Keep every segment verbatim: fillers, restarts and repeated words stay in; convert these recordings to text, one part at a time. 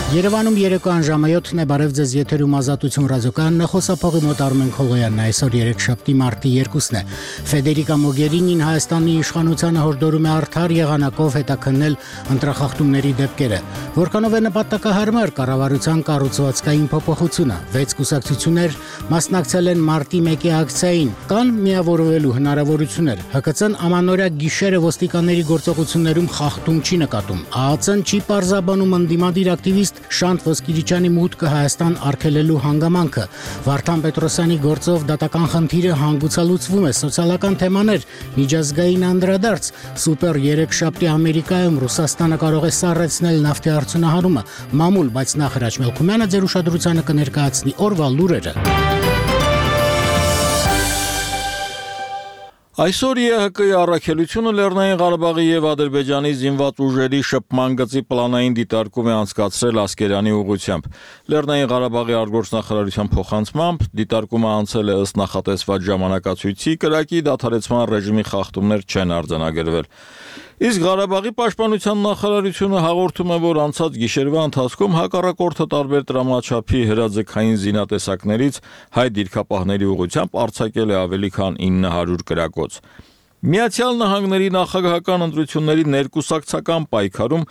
Երևանում երեկոյան ժամը յոթն է, բարև ձեզ, եթերում Ազատություն ռադիոկայանն է, խոսափողի մոտ Արմեն Քոլոյանն է, այսօր երեքշաբթի մարտի երկուսն է։ Ֆեդերիկա Մոգերինին Հայաստանի իշխանությանը հորդորում է արդար եղանակով հետաքննել ընտրախախտումների դեպքերը, որքանով է նպատակահարմար կառավարության կառուցվածքային փոփոխությունը։ Վեց կուսակցություններ մասնակցել են մարտի մեկի ակցիային, կան միավորվելու հնարավորություններ։ ՀԿՑ-ն ամանորյա գիշերը ոստիկանների գործողություններում խախտում չի նկատում։ ԱԱՑ-ն չի պարզաբանում ընդդիմադիր ակտիվիստ Շանթ Ոսկիրիչյանի մուտքը Հայաստան արգելելու հանգամանքը։ Վարդան Պետրոսյանի գործով դատական խնդիրը հանգուցալուծվում է, սոցիալական թեմաներ, միջազգային անդրադարձ, սուպեր երեքշաբթի Ամերիկայում Ռուսաստանը կարող է սառեցնել նավթի արդյունահանումը, մամուլ, բայց նախ Հրաչ Մելքումյանը ձեր ուշադրությանը կներկայացնի օրվա լուրերը։ Այսօր ԵՀԿ-ի առաքելությունը Լեռնային Ղարաբաղի եւ Ադրբեջանի զինված ուժերի շփման գծի պլանային դիտարկում է անցկացրել Ասկերանի ուղղությամբ։ Լեռնային Ղարաբաղի արտգործնախարարության փոխանցմամբ դիտարկումը անցել է ըստ նախատեսված ժամանակացույցի, կրակի դադարեցման ռեժիմի խախտումներ չեն արձանագրվել։ Իսկ Ղարաբաղի պաշտպանության նախարարությունը հաղորդում է, որ անցած գիշերվա ընթացքում հակառակորդը տարբեր տրամաչափի հրաձգային զինատեսակներից հայ դիրքապահների ուղղությամբ արձակել է ավելի քան ինը հարյուր կրակոց։ Միացյալ Նահանգների նախագահական ընտրությունների ներկուսակցական պայքարում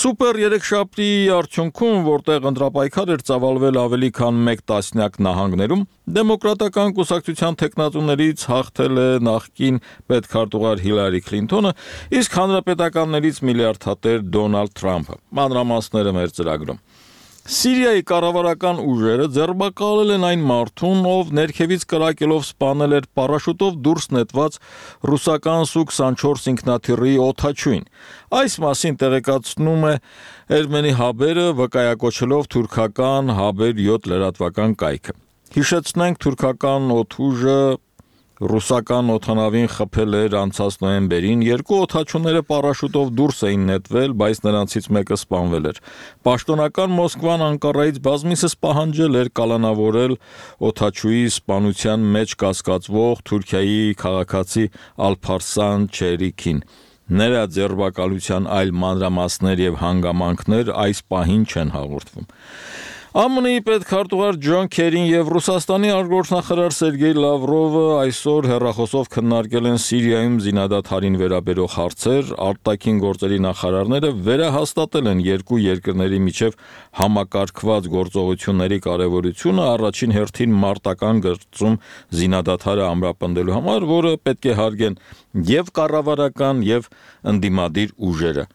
սուպեր երեքշաբթիի արդյունքում, որտեղ ընտրապայքար էր ծավալվել ավելի քան մեկ տասնյակ նահանգներում, դեմոկրատական կուսակցության թեկնածուներից հաղթել է նախկին պետքարտուղար Հիլարի Քլինթոնը, իսկ հանրապետականներից միլիարդատեր Դոնալդ Թրամփը։ Մանրամասները մեր ծրագրում։ Սիրիայի կառավարական ուժերը ձերբակալել են այն մարդուն, ով ներքևից կրակելով սպանել էր պարաշուտով դուրս նետված ռուսական Սու քսանչորս ինքնաթիռի օդաչուին։ Այս մասին տեղեկացնում է Էրմենի հաբերը, վկայակոչելով թուրքական Հաբեր յոթ լրատվական կայքը։ Հիշեցնենք, թուրքական օդուժը ռուսական օդանավին խփել էր անցած նոյեմբերին, երկու օդաչուները պարաշուտով դուրս էին նետվել, բայց նրանցից մեկը սպանվել էր։ Պաշտոնական Մոսկվան Անկարայից բազմիցս պահանջել էր կալանավորել օդաչուի սպանության մեջ կասկածվող Թուրքիայի քաղաքացի Ալփարսան Չերիքին։ Նրա ձերբակալության այլ մանրամասներ եւ հանգամանքներ այս պահին չեն հաղորդվում։ ԱՄՆ-ի պետքարտուղար Ջոն Քերին եւ Ռուսաստանի արտգործնախարար Սերգեյ Լավրովը այսօր հեռախոսով քննարկել են Սիրիայում զինադադարին վերաբերող հարցեր, արտաքին գործերի նախարարները վերահաստատել են երկու երկրների միջև համակարգված գործողությունների կարևորությունը, առաջին հերթին մարտական գծում զինադադարը ամրապնդելու համար, որը պետք է հարգեն եւ կառավարական եւ ընդդիմադիր ուժերը։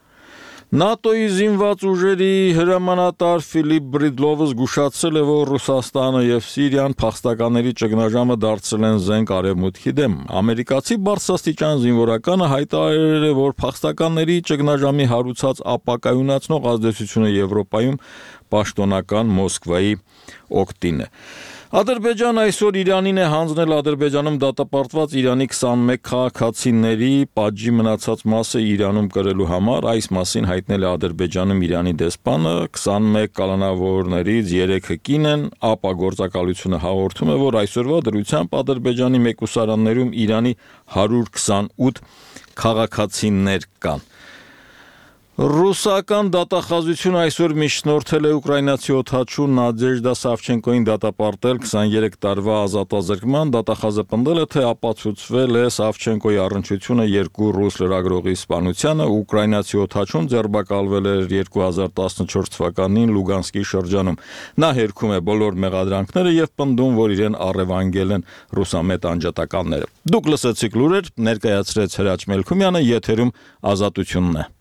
ՆԱՏՕ-ի զինված ուժերի հրամանատար Ֆիլիպ Բրիդլովը զգուշացրել է, որ Ռուսաստանը եւ Սիրիան փախստականների ճգնաժամը դարձրել են զենք արևմուտքի դեմ։ Ամերիկացի բարձրաստիճան զինվորականը հայտարարել է, որ փախստականների ճգնաժամի հարուցած ապակայունացնող ազդեցությունը Եվրոպայում պաշտոնական Մոսկվայի օգտին է։ Ադրբեջանը այսօր Իրանին է հանձնել Ադրբեջանում դատապարտված Իրանի քսանմեկ քաղաքացիների պատժի մնացած մասը Իրանում կրելու համար, այս մասին հայտնել է Ադրբեջանում Իրանի դեսպանը, քսանմեկ կալանավորներից երեքը կին են, ԱՊԱ գործակալությունը հաղորդում է, որ այսօրվա դրությամբ Ադրբեջանի մեկուսարաններում Իրանի հարյուր քսանութ քաղաքացիներ կան։ Ռուսական դատախազությունը այսօր միջնորդել է ուկրաինացի օդաչու Նադեժդա Սավչենկոին դատապարտել քսաներեք տարվա ազատազրկման, դատախազը պնդել է, թե ապացուցվել է Սավչենկոյի առնչությունը երկու ռուս լրագրողի սպանությանը, ուկրաինացի օդաչուն ձերբակալվել էր երկու հազար տասնչորս թվականին Լուգանսկի շրջանում։ Նա հերքում է բոլոր մեղադրանքները եւ պնդում, որ իրեն առևանգել են ռուսամետ անջատականները։ Դուք լսեցիք լուրեր, ներկայացրեց Հրաչ Մելքումյանը, եթերում Ազատությունն է։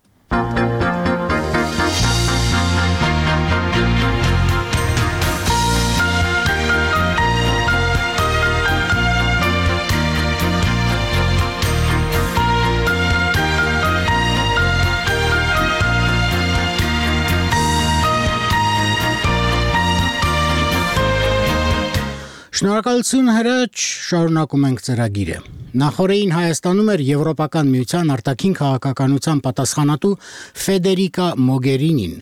Շնորհակալություն Հրաչ, շարունակում ենք ծրագիրը։ Նախորդին Հայաստանում էր Եվրոպական միության արտաքին քաղաքականության պատասխանատու Ֆեդերիկա Մոգերինին։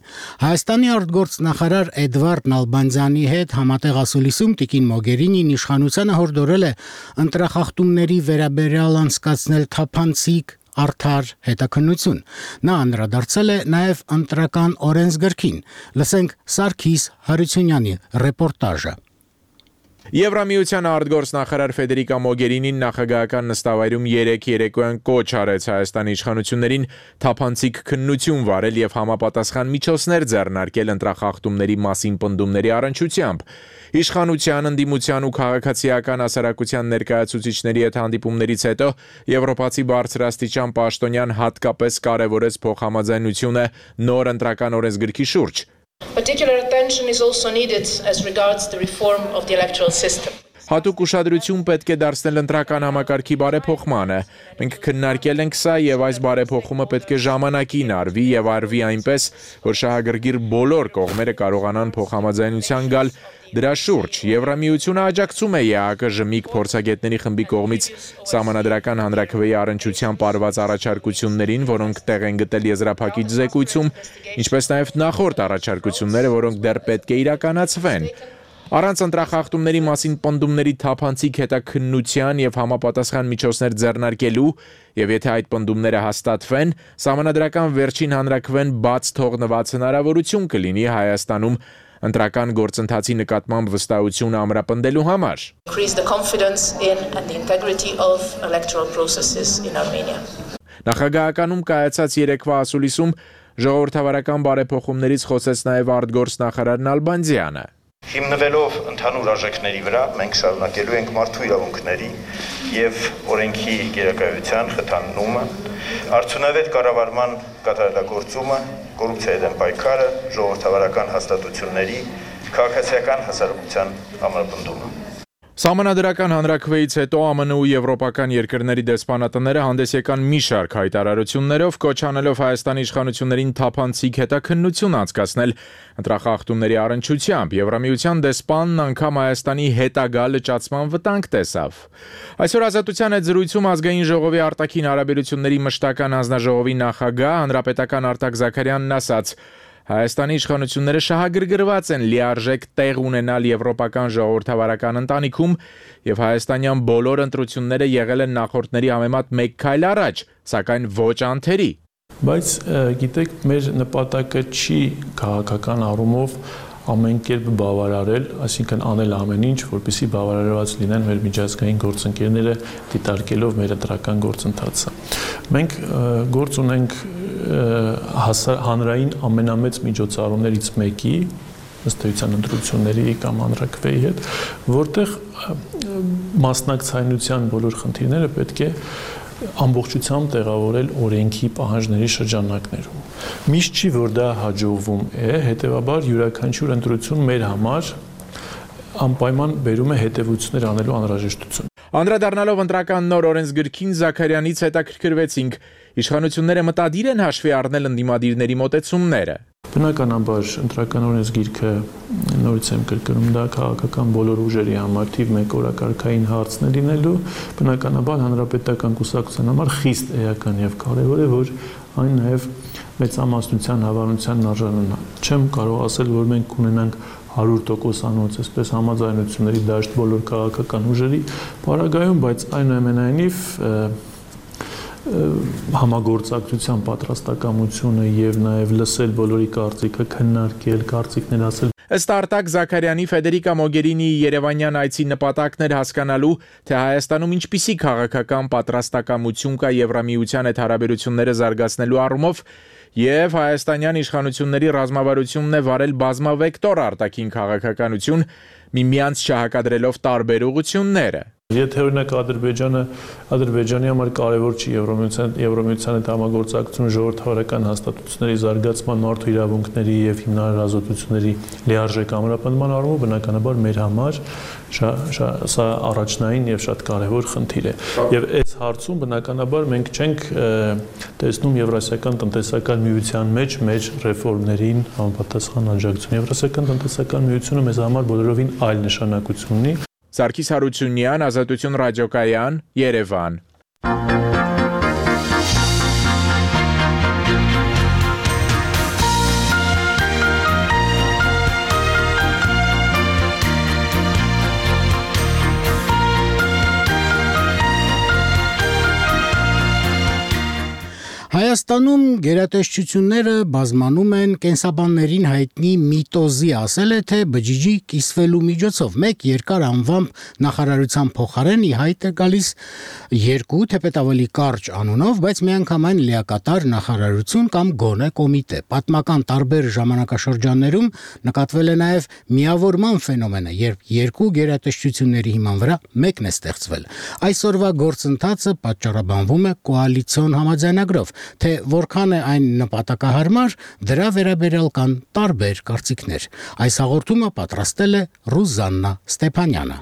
Հայաստանի արտգործնախարար Էդվարդ Նալբանդյանի հետ համատեղ ասուլիսում տիկին Մոգերինին իշխանությանը հորդորել է ընտրախախտումների վերաբերյալ անցկացնել թափանցիկ, արդար հետաքննություն։ Նա անդրադարձել է նաև ընտրական օրենսգրքին։ Լսենք Սարգիս Հարությունյանի ռեպորտաժը։ Եվրամիության արտգործնախարար Ֆեդերիկա Մոգերինին նախագահական նստավայրում երեկ երեկոյան կոչ արեց Հայաստանի իշխանություններին թափանցիկ քննություն վարել եւ համապատասխան միջոցներ ձեռնարկել ընտրախախտումների մասին պնդումների առնչությամբ։ Իշխանության, ընդդիմության ու քաղաքացիական հասարակության ներկայացուցիչների հետ հանդիպումներից հետո եվրոպացի բարձրաստիճան պաշտոնյան հատկապես կարևորեց փոխհամաձայնությունը նոր ընտրական օրենսգրքի շուրջ։ Particular attention is also needed as regards the reform of the electoral system. Հատուկ ուշադրություն պետք է դարձնել ընտրական համակարգի բարեփոխմանը։ Մենք քննարկել ենք սա եւ այս բարեփոխումը պետք է ժամանակին արվի եւ արվի այնպես, որ շահագրգիռ բոլոր կողմերը կարողանան փոխհամաձայնության գալ դրա շուրջ։ Եվրամիությունը աջակցում է ԵԱԿ-ԺՄԻԿ փորձագետների խմբի կողմից սահմանադրական հանրաքվեի առնչությամբ արված առաջարկություններին, որոնք տեղ են գտել եզրափակիչ զեկույցում, ինչպես նաև նախորդ առաջարկությունները, որոնք դեռ պետք է իրականացվեն։ Առանց ընտրախախտումների մասին պնդումների թափանցիկ հետաքննության եւ համապատասխան միջոցներ ձեռնարկելու եւ եթե այդ պնդումները հաստատվեն, սահմանադրական վերջին հանրաքվեն բաց թողնված հնարավորություն կլինի Հայաստանում ընտրական գործընթացի նկատմամբ վստահությունը ամրապնդելու համար։ Increase the confidence in and the integrity of electoral processes in Armenia. Նախագահականում կայացած երեկվա ասուլիսում ժողովրդավարական բարեփոխումներից խոսեց նաև արտգործնախարար Նալբանդյանը։ Հիմնվելով ընդհանուր արժեքների վրա մենք շարունակելու ենք մարդու իրավունքների եւ օրենքի գերակայության խթանումը, արդյունավետ կառավարման կատարելագործումը, կոռուպցիայի դեմ պայքարը, ժողովրդավարական հաստատությունների, քաղաքացիական հասարակության ամրապնդումը։ Սահմանադրական հանրաքվեից հետո ԱՄՆ ու եվրոպական երկրների դեսպանատները հանդես եկան մի շարք հայտարարություններով, կոչ անելով Հայաստանի իշխանություններին թափանցիկ հետաքննություն անցկացնել ընտրախախտումների առնչությամբ։ Եվրամիության դեսպանն անգամ Հայաստանի հետագա լճացման վտանգ տեսավ։ Այսօր Ազատության հետ զրույցում ազգային ժողովի արտաքին հարաբերությունների մշտական հանձնաժողովի նախագահ հանրապետական Արտակ Զաքարյանն ասաց. Հայաստանի իշխանությունները շահագրգռված են լիարժեք տեղ ունենալ եվրոպական ժողովրդավարական ընտանիքում եւ հայաստանյան բոլոր ընտրությունները եղել են նախորդների համեմատ մեկ քայլ առաջ, սակայն ոչ անթերի։ Բայց գիտեք, մեր նպատակը չի քաղաքական առումով ամեն կերպ բավարարել, այսինքն անել ամեն ինչ, որպեսզի բավարարված լինեն մեր միջազգային գործընկերները դիտարկելով մեր ընտրական գործընթացը։ Մենք գործ ունենք հանրային ամենամեծ միջոցառումներից մեկի, ըստ էության ընտրությունների կամ հանրաքվեի հետ, որտեղ մասնակցայնության բոլոր խնդիրները պետք է ամբողջությամբ տեղավորել օրենքի պահանջների շրջանակներում։ Միշտ չի, որ դա հաջողվում է, հետևաբար յուրաքանչյուր ընտրություն մեր համար անպայման բերում է հետևություններ անելու անհրաժեշտություն։ Անդրադառնալով ընտրական նոր օրենսգրքին Զաքարյանից հետաքրքրվեցինք, իշխանությունները մտադիր են հաշվի առնել ընդդիմադիրների մոտեցումները։ Բնականաբար ընտրական օրենսգիրքը նորից եմ կրկնում, դա քաղաքական բոլոր ուժերի համար թիվ մեկ օրակարգային հարցն է լինելու, բնականաբար հանրապետական կուսակցության համար խիստ էական եւ կարեւոր է, որ այն նաեւ մեծամասնության հավանությանն արժանանա։ Չեմ կարող ասել, որ մենք ունենանք հարյուր տոկոսանոց այսպես համաձայնությունների դաշտ բոլոր քաղաքական ուժերի պարագայում, բայց այնուամենայնիվ համագործակցության պատրաստակամությունը եւ նաեւ լսել բոլորի կարծիքը, քննարկել, կարծիքներ ասել։ Ըստ Արտակ Զաքարյանի Ֆեդերիկա Մոգերինիի Երևանյան այցի նպատակն էր հասկանալու, թե Հայաստանում ինչպիսի քաղաքական պատրաստակամություն կա Եվրամիության հետ հարաբերությունները զարգացնելու առումով եւ հայաստանյան իշխանությունների ռազմավարությունն է վարել բազմավեկտոր արտաքին քաղաքականություն, միմյանց չհակադրելով տարբեր ուղղությունները։ Եթե օրինակ Ադրբեջանը Ադրբեջանի համար կարևոր չի Եվրամիության Եվրամիության հետ համագործակցությունը ժողովրդավարական հաստատությունների զարգացման, մարդու իրավունքների եւ հիմնարար ազատությունների լիարժեք ամրապնդման առումով բնականաբար մեր համար սա առաջնային եւ շատ կարևոր խնդիր է։ Եվ այս հարցում բնականաբար մենք չենք տեսնում Եվրասիական տնտեսական միության մեջ մեր ռեֆորմներին համապատասխան աջակցություն։ Եվրասիական տնտեսական միությունը մեզ համար բոլորովին այլ նշանակություն ունի։ Սարգիս Հարությունյան, Ազատություն ռադիոկայան, Երևան։ Հայաստանում գերատեսչությունները բազմանում են կենսաբաններին հայտնի միտոզի, ասել է, թե բջիջի կիսվելու միջոցով մեկ երկար անվամբ նախարարության փոխարեն ի հայտ է գալիս երկու թեպետ ավելի կարճ անունով, բայց միանգամայն լիակատար նախարարություն կամ գոնե կոմիտե։ Պատմական տարբեր ժամանակաշրջաններում նկատվել է նաև միավորման ֆենոմենը, երբ երկու գերատեսչությունների հիման վրա մեկն է ստեղծվել։ Այսօրվա գործընթացը պատճառաբանվում է կոալիցիոն համաձայնագրով, թե որքան է այն նպատակահարմար, դրա վերաբերյալ կան տարբեր կարծիքներ։ Այս հաղորդումը պատրաստել է Ռուզաննա Ստեփանյանը։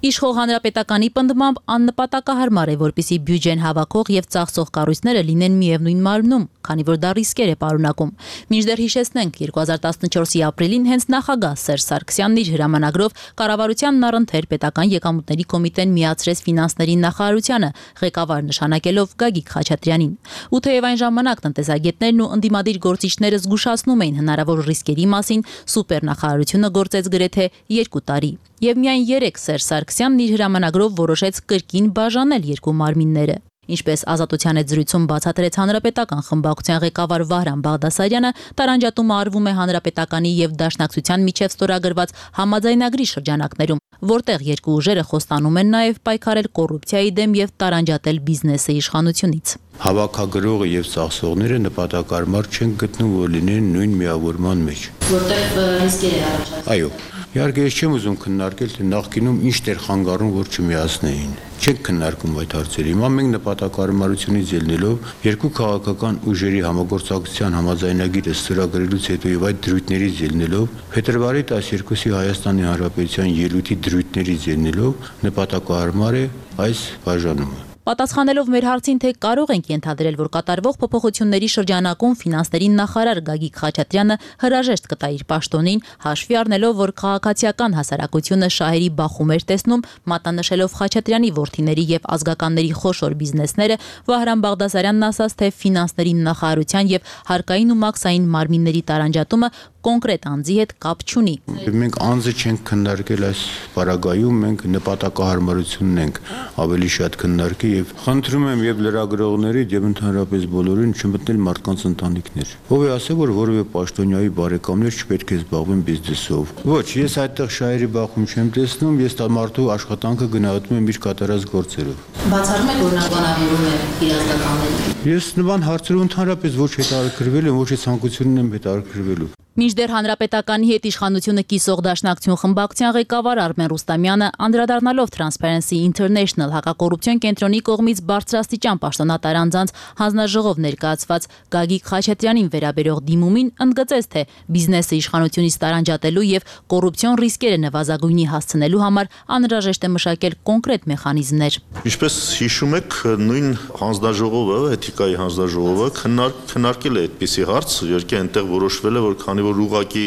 Իշխող հանրապետականի պնդմամբ աննպատակահարմար է, որպեսզի բյուջեն հավաքող եւ ծախսող կառույցները լինեն միևնույն մարմնում, քանի որ դա ռիսկեր է պարունակում։ Մինչդեռ հիշեցնենք, երկու հազար տասնչորսի ապրիլին հենց նախագահ Սերժ Սարգսյանն իր հրամանագրով կառավարությանն առընթեր պետական եկամուտների կոմիտեն միացրեց ֆինանսների նախարարությանը, ղեկավար նշանակելով Գագիկ Խաչատրյանին։ Ու թեև այն ժամանակ տնտեսագետներն ու ընդդիմադիր գործիչները զգուշացնում էին հնարավոր ռիսկերի մասին, սուպերնախարարությունը գործեց գրեթե երկու տարի։ Եվ միայն երեք Սերժ Սարգսյանն իր հրամանագրով որոշեց կրկին բաժանել երկու մարմինները։ Ինչպես Ազատության հետ զրույցում բացատրեց հանրապետական խմբակցության ղեկավար Վահրամ Բաղդասարյանը, տարանջատումը արվում է հանրապետականի եւ Դաշնակցության միջև ստորագրված համաձայնագրի շրջանակներում, որտեղ երկու ուժերը խոստանում են նաեւ պայքարել կոռուպցիայի դեմ եւ տարանջատել բիզնեսը իշխանությունից։ Հավաքագրողը եւ ծախսողները նպատակարմար չեն գտնում, որ լինեն նույն միավորման մեջ։ Որտեղ ռիսկեր է առաջացնում։ Այո, իհարկե ես չեմ ուզում քննարկել, թե նախկինում ինչ դեր խանգարում, որ չմիացնեին։ Չենք քննարկում այդ հարցերը։ Հիմա մենք նպատակարարությունից ելնելով երկու քաղաքական ուժերի համագործակցության համաձայնագիրը ստորագրելուց հետո եւ այդ դրույթներից ելնելով փետրվարի տասներկուսի Հայաստանի Հանրապետության ելույթի դրույթներից ելնելով նպատակահարմար է այս բաժանումը։ Պատասխանելով մեր հարցին, թե կարող ենք ենթադրել, որ կատարվող փոփոխությունների շրջանակում ֆինանսների նախարար Գագիկ Խաչատրյանը հրաժեշտ կտա իր պաշտոնին, հաշվի առնելով, որ քաղաքացիական հասարակությունը շահերի բախում էր տեսնում, մատնանշելով Խաչատրյանի որդիների եւ ազգականների խոշոր բիզնեսները, Վահրամ Բաղդասարյանն ասաց, թե ֆինանսների նախարարության եւ հարկային ու մաքսային մարմինների տարանջատումը կոնկրետ անձի հետ կապ չունի։ Մենք անձը չենք քննարկել այս պարագայում, մենք նպատակահարմարությունն ենք ավելի շատ քննարկել եւ խնդրում եմ եւ լրագրողների եւ ընդհանրապես բոլորին չմտնել մարդկանց ընտանիքներ։ Ով է ասել, որ որևէ պաշտոնյայի բարեկամներ չպետք է զբաղվեն բիզնեսով։ Ոչ, ես այդտեղ շահերի բախում չեմ տեսնում, ես դա մարդու աշխատանքը գնահատում եմ իր կատարած գործերով։ Բացառում եք, որ նա բանավորում է իր ազգականներին։ Ես նման հարցերով ընդհանրապես ոչ հետաքրքրվել եմ, ոչ ցանկությունն եմ հետաքրքրվելու։ Մինչդեռ հանրապետականի հետ իշխանությունը կիսող Դաշնակցություն խմբակցության ղեկավար Արմեն Ռուստամյանը անդրադառնալով Transparency International հակակոռուպցիոն կենտրոնի կողմից բարձրաստիճան պաշտոնատար անձանց հանձնաժողով ներկայացված Գագիկ Խաչատրյանին վերաբերող դիմումին ընդգծեց, թե բիզնեսը իշխանությունից տարանջատելու եւ կոռուպցիոն ռիսկերը նվազագույնի հասցնելու համար անհրաժեշտ է մշակել կոնկրետ մեխանիզմներ։ Ինչպես հիշում եք, նույն հանձնաժողովը, էթիկայի հանձնաժողովը քննարկել է այդպիսի հարց, իհարկե այնտեղ որոշվել է, որ քանի որ ուղղակի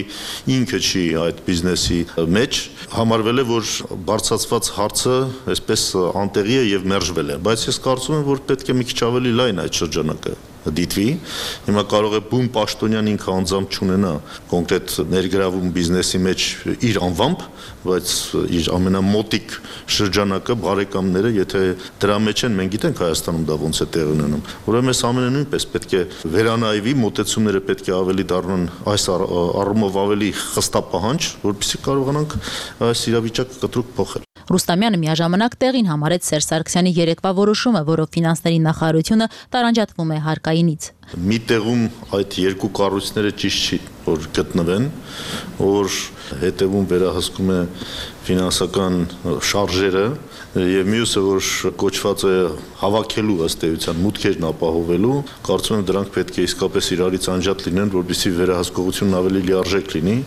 ինքը չի այդ բիզնեսի մեջ, համարվել է, որ բարձրացված հարցը այսպես անտեղի է եւ մերժվել է, բայց ես կարծում եմ, որ պետք է մի քիչ ավելի լայն այդ շրջանակը դիտվի։ Հիմա կարող է բուն պաշտոնյան ինքը անձամբ չունենա կոնկրետ ներգրավում բիզնեսի մեջ իր անվամբ, բայց իր ամենամոտիկ շրջանակը բարեկամները, եթե դրա մեջ են, մենք գիտենք Հայաստանում դա ոնց է տեղի ունենում։ Ուրեմն այս ամենը նույնպես պետք է վերանայվի, մոտեցումները պետք է ավելի դառնան այս առումով ավելի խստապահանջ, որպեսզի կարողանանք այս իրավիճակը կտրուկ փոխել։ Ռուստամյանը միաժամանակ տեղին համարեց Սերժ Սարգսյանի երեկվա որոշումը, որով ֆինանսների նախարարությունը տարանջատվում է հարկայինից։ Մի տեղում այդ երկու կառույցները ճիշտ չի որ գտնվեն, որ հետևում վերահսկում է ֆինանսական շարժերը եւ մյուսը որ կոչված է հավաքելու ըստ էության մուտքերն ապահովելու, կարծում եմ դրանք պետք է իսկապես իրարից անջատ լինեն, որպեսզի վերահսկողությունն ավելի լիարժեք լինի։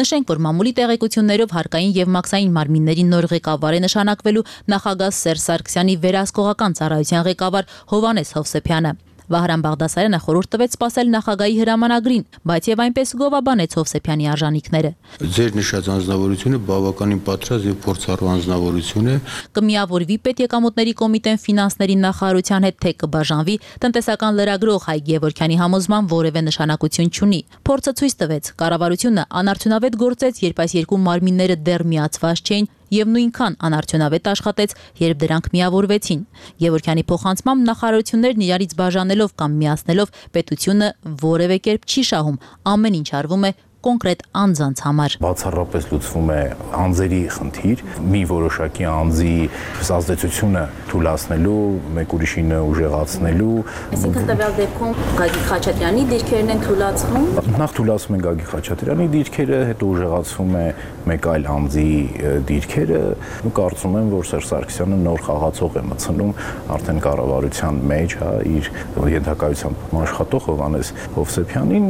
Նշենք, որ մամուլի տեղեկություններով հարկային եւ մաքսային մարմինների նոր ղեկավար է նշանակվելու նախագահ Սերժ Սարգսյանի վերահսկողական ծառայության ղեկավար Հովհաննես Հովսեփյանը։ Վահրամ Բաղդասարյանը խորհուրդ տվեց սպասել նախագահի հրամանագրին, բայց եւ այնպես գովաբանեց Հովսեփյանի արժանինքները։ Ձեր նշած անձնավորությունը բավականին պատրաստ եւ փորձառու անձնավորություն է։ Կմիավորվի պետեկամուտների կոմիտեն ֆինանսների նախարարության հետ, թե կբաժանվի, տնտեսական լրագրող Հայկ Գևորգյանի համոզման որևէ նշանակություն չունի։ Փորձը ցույց տվեց, կառավարությունը անարդյունավետ գործեց, երբ այս երկու մարմինները դեռ միացված չէին եւ նույնքան անարդյունավետ աշխատեց, երբ դրանք միավորվեցին։ Գևորգյանի փոխանցմամբ նախարարություններն իրարից բաժանելով կամ միացնելով պետությունը որևէ կերպ չի շահում, ամեն ինչ արվում է կոնկրետ անձանց համար։ Բացառապես լուծվում է անձերի խնդիր, մի որոշակի անձի ազդեցությունը թույլատնելու, մեկ ուրիշինը ուժեղացնելու։ Այսինքն տվյալ դեպքում Գագիկ Խաչատրյանի դիրքերն են թույլատրվում։ Նախ թույլատրվում են Գագիկ Խաչատրյանի դիրքերը, հետո ուժեղացվում է մեկ այլ անձի դիրքերը։ Ու կարծում եմ, որ Սերժ Սարգսյանը նոր խաղացող է մտցնում արդեն կառավարության մեջ, հա, իր ենթակայությամբ աշխատող Հովհաննես Հովսեփյանին,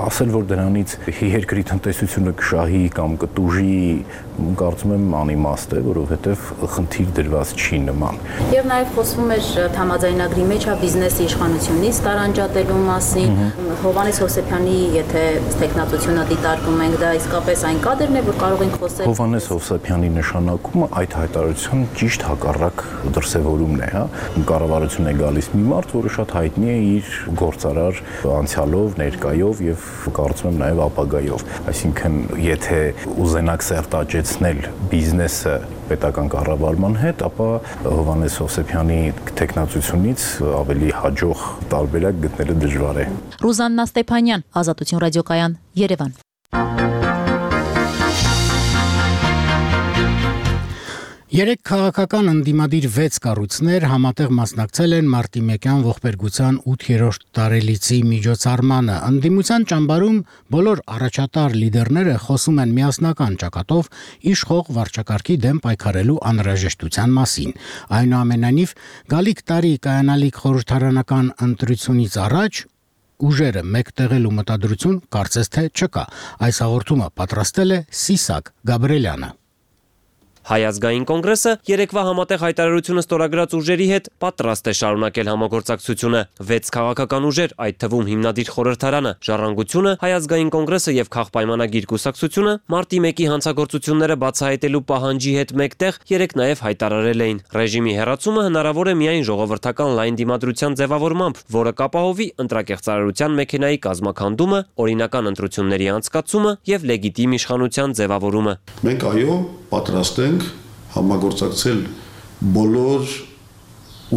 ասել, որ դրանից երկրի տնտեսությունը կշահի կամ կտուժի, կարծում եմ անիմաստ է, որովհետև խնդիր դրված չի նման։ Եվ նաև խոսվում էր համաձայնագրի մեջ բիզնեսի իշխանությունից տարանջատելու մասին, Հովհաննես Հովսեփյանի, եթե տեխնատությունը դիտարկում ենք, դա իսկապես այն կադրն է, որ կարող ենք խոսել։ Հովհաննես Հովսեփյանի նշանակումը այդ հայտարարության ճիշտ հակառակ դրսևորումն է, հա։ Կառավարություն է գալիս մի մարդ, որը շատ հայտնի է իր գործարար անցյալով, ներկայով եւ կարծում եմ նաև ապագայով։ Այսինքն, եթե ուզենաք սերտաճեցնել բիզնեսը պետական կառավարման հետ, ապա Հովհաննես Հովսեփյանի տեխնացությունից ավելի հաջող տարբերակ գտնելը դժվար է։ Ռուզաննա Ստեփանյան, Ազատություն ռադիոկայան, Երևան։ Երեք քաղաքական ընդդիմադիր վեց կառույցներ համատեղ մասնակցել են մարտի մեկյան ողբերգության ութերորդ տարելիցի միջոցառմանը։ Ընդդիմության ճամբարում բոլոր առաջատար լիդերները խոսում են միասնական ճակատով իշխող վարչակարգի դեմ պայքարելու անհրաժեշտության մասին։ Այնուամենայնիվ, գալիք տարի կայանալիք խորհրդարանական ընտրությունից առաջ ուժերը մեկտեղելու մտադրություն կարծես թե չկա։ Այս հաղորդումը պատրաստել է Սիսակ Գաբրելյանը։ Հայ ազգային կոնգրեսը երեկվա համատեղ հայտարարությունը ստորագրած ուժերի հետ պատրաստ է շարունակել համագործակցությունը։ Վեց քաղաքական ուժեր, այդ թվում հիմնադիր խորհրդարանը, Ժառանգությունը, Հայ ազգային կոնգրեսը եւ Քաղբայմանագիր կուսակցությունը մարտի մեկի հանցագործությունները բացահայտելու պահանջի հետ մեկտեղ երեք նաեւ հայտարարել էին։ Ռեժիմի հեռացումը հնարավոր է միայն ժողովրդական լայն դիմադրության ձևավորմամբ, որը կապահովի ընտրակեղծարարության մեքենայի կազմաքանդումը, օրինական ընտրությունների անցկացումը եւ լեգիտիմ իշխանության ձևավորումը։ Մենք այո պատրաստ ենք համագործակցել բոլոր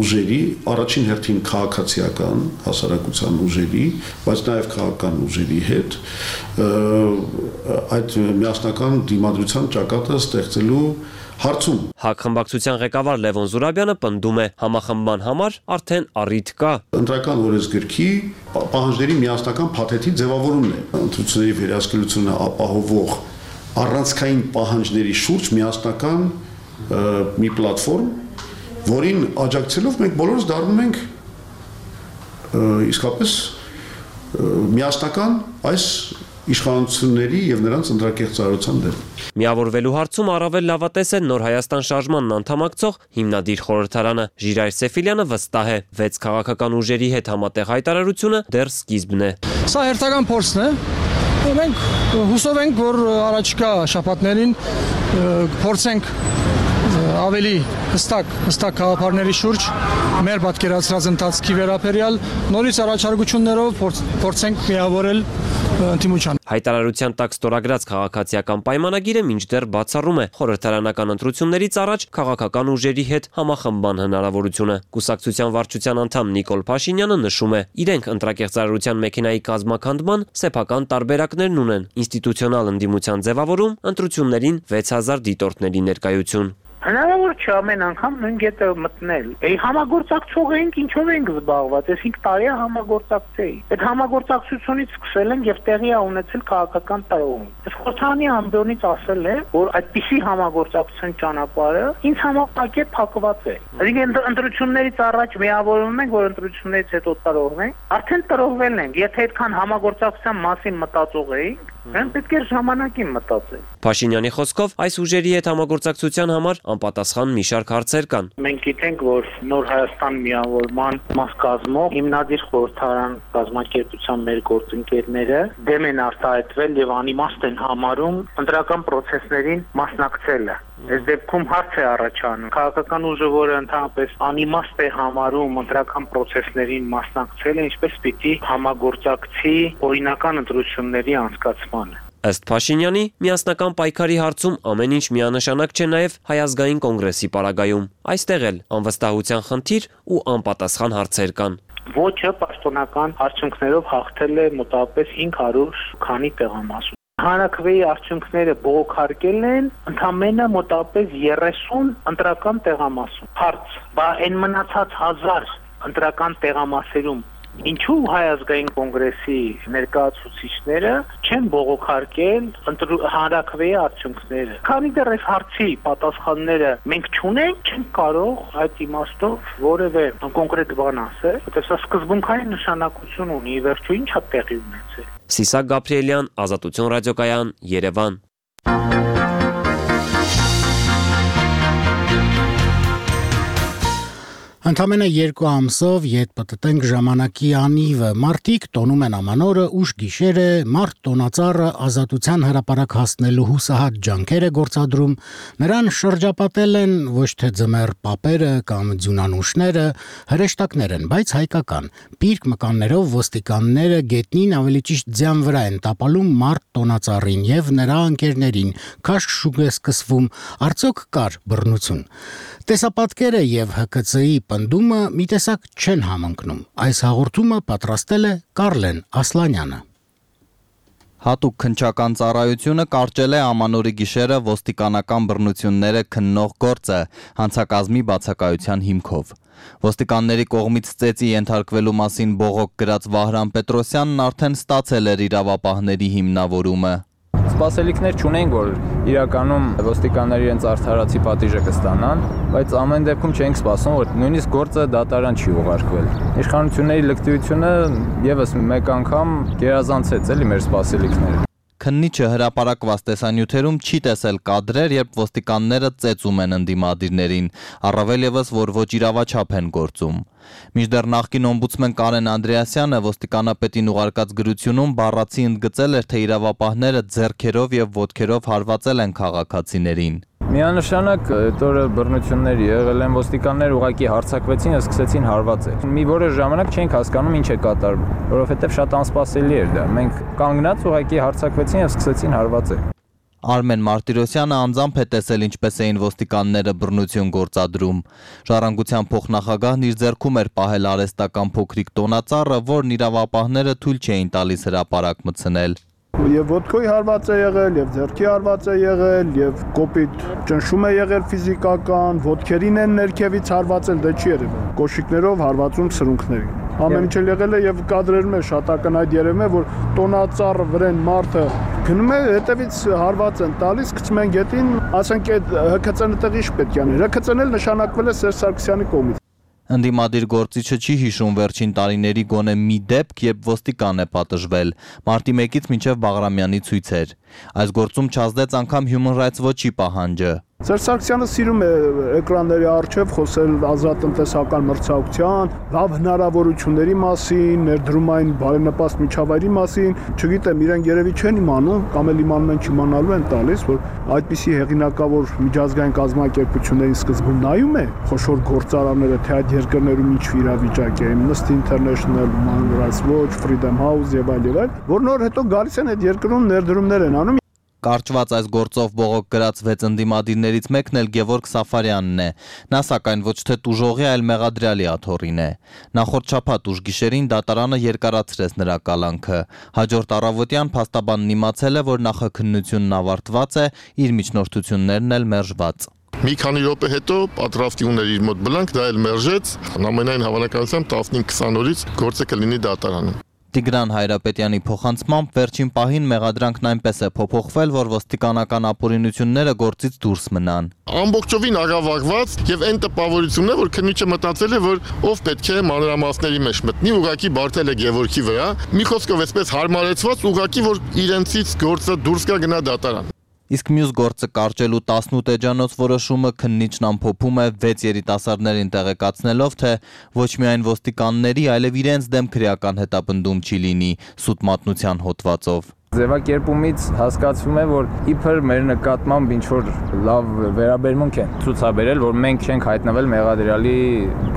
ուժերի, առաջին հերթին քաղաքացիական հասարակության ուժերի, բայց նաև քաղաքական ուժերի հետ այդ միասնական դիմադրության ճակատը ստեղծելու հարցում։ ՀԱԿ խմբակցության ղեկավար Լևոն Զուրաբյանը պնդում է, համախմբման համար արդեն առիթ կա։ Ընտրական օրենսգրքի պահանջների միասնական փաթեթի ձևավորումն է։ Ընտրությունների վերահսկելությունը ապահովող առանցքային պահանջների շուրջ միասնական մի պլատֆորմ, որին աջակցելով մենք բոլորս դառնում ենք իսկապես միասնական այս իշխանությունների եւ նրանց ընտրակեղծարարության դեմ։ Միավորվելու հարցում առավել լավատես է Նոր Հայաստան շարժմանն անդամակցող հիմնադիր խորհրդարանը։ Ժիրայր Սեֆիլյանը վստահ է, վեց քաղաքական ուժերի հետ համատեղ հայտարարությունը դեռ սկիզբն է։ Սա հերթական փորձն է։ Մենք հուսով ենք, որ առաջիկա շաբաթներին փորձենք ավելի հստակ հստակ գաղափարների շուրջ մեր պատկերացրած ընթացքի վերաբերյալ նորից առաջարկություններով փորձենք միավորել ընդդիմության։ Հայտարարության տակ ստորագրած քաղաքացիական պայմանագիրը մինչդեռ բացառում է խորհրդարանական ընտրություններից առաջ քաղաքական ուժերի հետ համախմբման հնարավորությունը։ Կուսակցության վարչության անդամ Նիկոլ Փաշինյանը նշում է, իրենք ընտրակեղծարարության մեքենայի կազմաքանդման սեփական տարբերակներն ունեն՝ ինստիտուցիոնալ ընդդիմության ձևավորում, ընտրություններին վեց հազար դիտորդների ներկայություն։ Հնարավոր չէ ամեն անգամ նույն կետը մտնել։ Էй համագործակցող ենք, ինչով ենք զբաղված, այս հինգ տարի է համագործակցեի։ Այդ համագործակցությունից սկսել ենք եւ տեղի է ունեցել քաղաքական տարողում։ Այս խորհրդանի ամբիոնից ասել է, որ այդպիսի համագործակցության ճանապարհը ինձ համապակե փակված է։ Այսինքն ընտրություններից առաջ միավորվում ենք, որ ընտրություններից հետո տարողվենք, արդեն տարողվել ենք։ Եթե այդքան համագործակցության մասին մտածող էինք, մենք պետք է ժամանակին մտածենք։ Փաշինյանի խոսքով այս ուժերի հետ համագործակցության համար անպատասխան մի շարք հարցեր կան։ Մենք գիտենք, որ Նոր Հայաստան միավորման մաս կազմող հիմնադիր խորհրդարան կազմակերպության մեր գործընկերները դեմ են արտահայտվել եւ անիմաստ են համարում ընտրական process-ներին մասնակցելը։ Այս դեպքում հարց է առաջանում։ Քաղաքական ուժը, որը ընդհանրապես անիմաստ է համարում ընտրական process-ներին մասնակցելը, ինչպես պիտի համագործակցի օրինական ընտրությունների անցկացմանը։ Ըստ Փաշինյանի, միասնական պայքարի հարցում ամեն ինչ միանշանակ չէ նաև Հայ ազգային կոնգրեսի պարագայում։ Այստեղ էլ անվստահության խնդիր ու անպատասխան հարցեր կան։ Ոչը պաշտոնական արդյունքներով հաղթել է մոտավորապես հինգ հարյուր քանի տեղամասում։ Հանրաքվեի արդյունքները բողոքարկել են ընդամենը մոտավորապես երեսուն ընտրական տեղամասում։ Հարց, բա այն մնացած հազար ընտրական տեղամասերում ինչու Հայ ազգային կոնգրեսի ներկայացուցիչները չեն բողոքարկել հանրաքվեի արդյունքները։ Քանի դեռ այս հարցի պատասխանները մենք չունենք, չենք կարող այդ իմաստով որևէ կոնկրետ բան ասել, որտեղ սա սկզբունքային նշանակություն ունի, վերջո ինչա տեղի ունեցել։ Սիսակ Գաբրիելյան, Ազատություն ռադիոկայան, Երևան։ Ընդամենը երկու ամսով ետ պտտենք ժամանակի անիվը, մարդիկ տոնում են ամանորը, ուշ գիշերը, մարդ տոնածառը ազատության հրապարակ հասնելու հուսահատ ջանքեր է գործադրում, նրան շրջապատել են ոչ թե ձմեռ պապերը կամ ձյունանուշները, հրեշտակներ են, բայց հայկական, պիրկ մկաններով ոստիկանները գետնին ավելի ճիշտ ձյան վրա են տապալում մարդ տոնածառին և նրա ընկերներին, քաշք շուկ է սկսվում, արդյոք կար բռնություն։ Տեսապատկերը և Հ K C-ի պնդումը մի տեսակ չեն համընկնում։ Այս հաղորդումը պատրաստել է Կարլեն Ասլանյանը։ Հատուկ քննչական ծառայությունը կարճել է ամանորի գիշերը ոստիկանական բռնությունները քննող գործը հանցակազմի բացակայության հիմքով։ Ոստիկանների կողմից ծեծի ենթարկվելու մասին բողոք գրած Վահրամ Պետրոսյանն արդեն ստացել էր իրավապահների հիմնավորումը։ Սպասելիքներ չունենք, որ իրականում ոստիկանները իրենց արդարացի պատիժը կստանան, բայց ամեն դեպքում չենք սպասում, որ նույնիսկ գործը դատարան չի ուղարկվել։ Իշխանությունների լկտիությունը եւս մեկ անգամ գերազանցեց էլի մեր սպասելիքները։ Քննիչը հրապարակված տեսանյութերում չի տեսել կադրեր, երբ ոստիկանները ծեծում են ընդդիմադիրներին, առավել ևս, որ ոչ իրավաչափ են գործում։ Մինչդեռ նախկին օմբուդսմեն Կարեն Անդրեասյանը ոստիկանապետին ուղարկած գրությունում բառացի ընդգծել էր, թե իրավապահները ձեռքերով եւ ոտքերով հարվածել են քաղաքացիներին։ Միանշանակ այդ օրը բռնություններ եղել են, ոստիկանները ուղղակի հարձակվեցին, սկսեցին հարվածել։ Մի որոշ ժամանակ չենք հասկանում ինչ է կատարվում, որովհետև շատ անսպասելի էր դա։ Մենք կանգնած ուղղակի հարձակվեցին եւ սկսեցին հարվածել։ Արմեն Մարտիրոսյանը անձամբ է տեսել ինչպես էին ոստիկանները բռնություն գործադրում։ Ժառանգության փոխնախագահն իր ձեռքում էր պահել արհեստական փոքրիկ տոնածառը, որն իրավապահները թույլ չէին տալիս հրապարակ մտցնել։ Եվ ոտքոյի հարված է եղել, եւ ձեռքի հարված է եղել, եւ կոպիտ ճնշում է եղել ֆիզիկական, ոտքերին են ներքևից հարվածել, դա չի երևում։ Կոշիկներով հարվածում սրունքներին։ Ամեն ինչ եղել է եւ կադրերում է շատ ակնհայտ երևում է, որ տոնածառը վրան մարդը գնում է, հետևից հարված են տալիս, գցում են գետին, ասենք այդ Հ K C-ն տեղի շպետք անի։ Հ K C-ն էլ նշանակվել է Սերժ Սարգսյանի կողմից։ Ընդդիմադիր գործիչը չի հիշում վերջին տարիների գոնե մի դեպք, երբ ոստիկան է պատժվել, մարտի մեկից մինչև Բաղրամյանի ցույցեր։ Այս գործում չազդեց անգամ Human Rights Watch-ի պահանջը։ Սերժ Սարգսյանը սիրում է էկրանների առջև խոսել ազատտնտեսական մրցակցության, լավ հնարավորությունների մասին, ներդրումային բարենպաստ միջավայրի մասին, չգիտեմ, իրենք երևի չեն իմանում, կամ էլ իմանում են չիմանալու են տալիս, որ այդպիսի հեղինակավոր միջազգային կազմակերպությունների սկզբում նայում է խոշոր գործարանները, թե այդ երկրներում ինչ իրավիճակ է, Amnesty International, Human Rights Watch, Freedom House եւ այլ եւ այլ, որ նոր հետո գալիս են այդ երկրում ներդրումներ են անում։ Կարճված այս գործով բողոք գրած վեց ընդդիմադիրներից մեկն էլ Գևորգ Սաֆարյանն է։ Նա սակայն ոչ թե տուժողի, այլ մեղադրյալի աթոռին է։ Նախորդ շաբաթ ուշ գիշերին դատարանը երկարացրեց նրա կալանքը։ Հաջորդ առավոտյան փաստաբանն իմացել է, որ նախաքննությունն ավարտված է, իր միջնորդություններն էլ մերժված։ Մի քանի րոպե հետո պատրաստի ուներ իր մոտ բլանկ, դա էլ մերժեց, ամենայն հավանականությամբ տասնհինգ քսան օրից գործը կլինի դատարանում։ Տիգրան Հայրապետյանի փոխանցմամբ վերջին պահին մեղադրանքն այնպես է փոփոխվել, որ ոստիկանական ապօրինությունները գործից դուրս մնան։ Ամբողջովին աղավաղված եւ այն տպավորությունն է, որ քննիչը մտածել է, որ ով պետք է մանրամասների մեջ մտնի, ուղղակի բարդել է Գևորգի վրա, մի խոսքով այսպես հարմարեցված, ուղղակի որ իրենցից գործը դուրս կա գնա դատարան։ Իսկ մյուս գործը կարճելու տասնութ էջանոց որոշումը քննիչն ամփոփում է վեց երիտասարդներին տեղեկացնելով, թե ոչ միայն ոստիկանների, այլև իրենց դեմ քրեական հետապնդում չի լինի սուտ մատնության հոդվածով։ Ձևակերպումից հասկացվում է, որ իբր մեր նկատմամբ ինչ որ լավ վերաբերմունք են ցուցաբերել, որ մենք չենք հայտնվել մեղադրյալի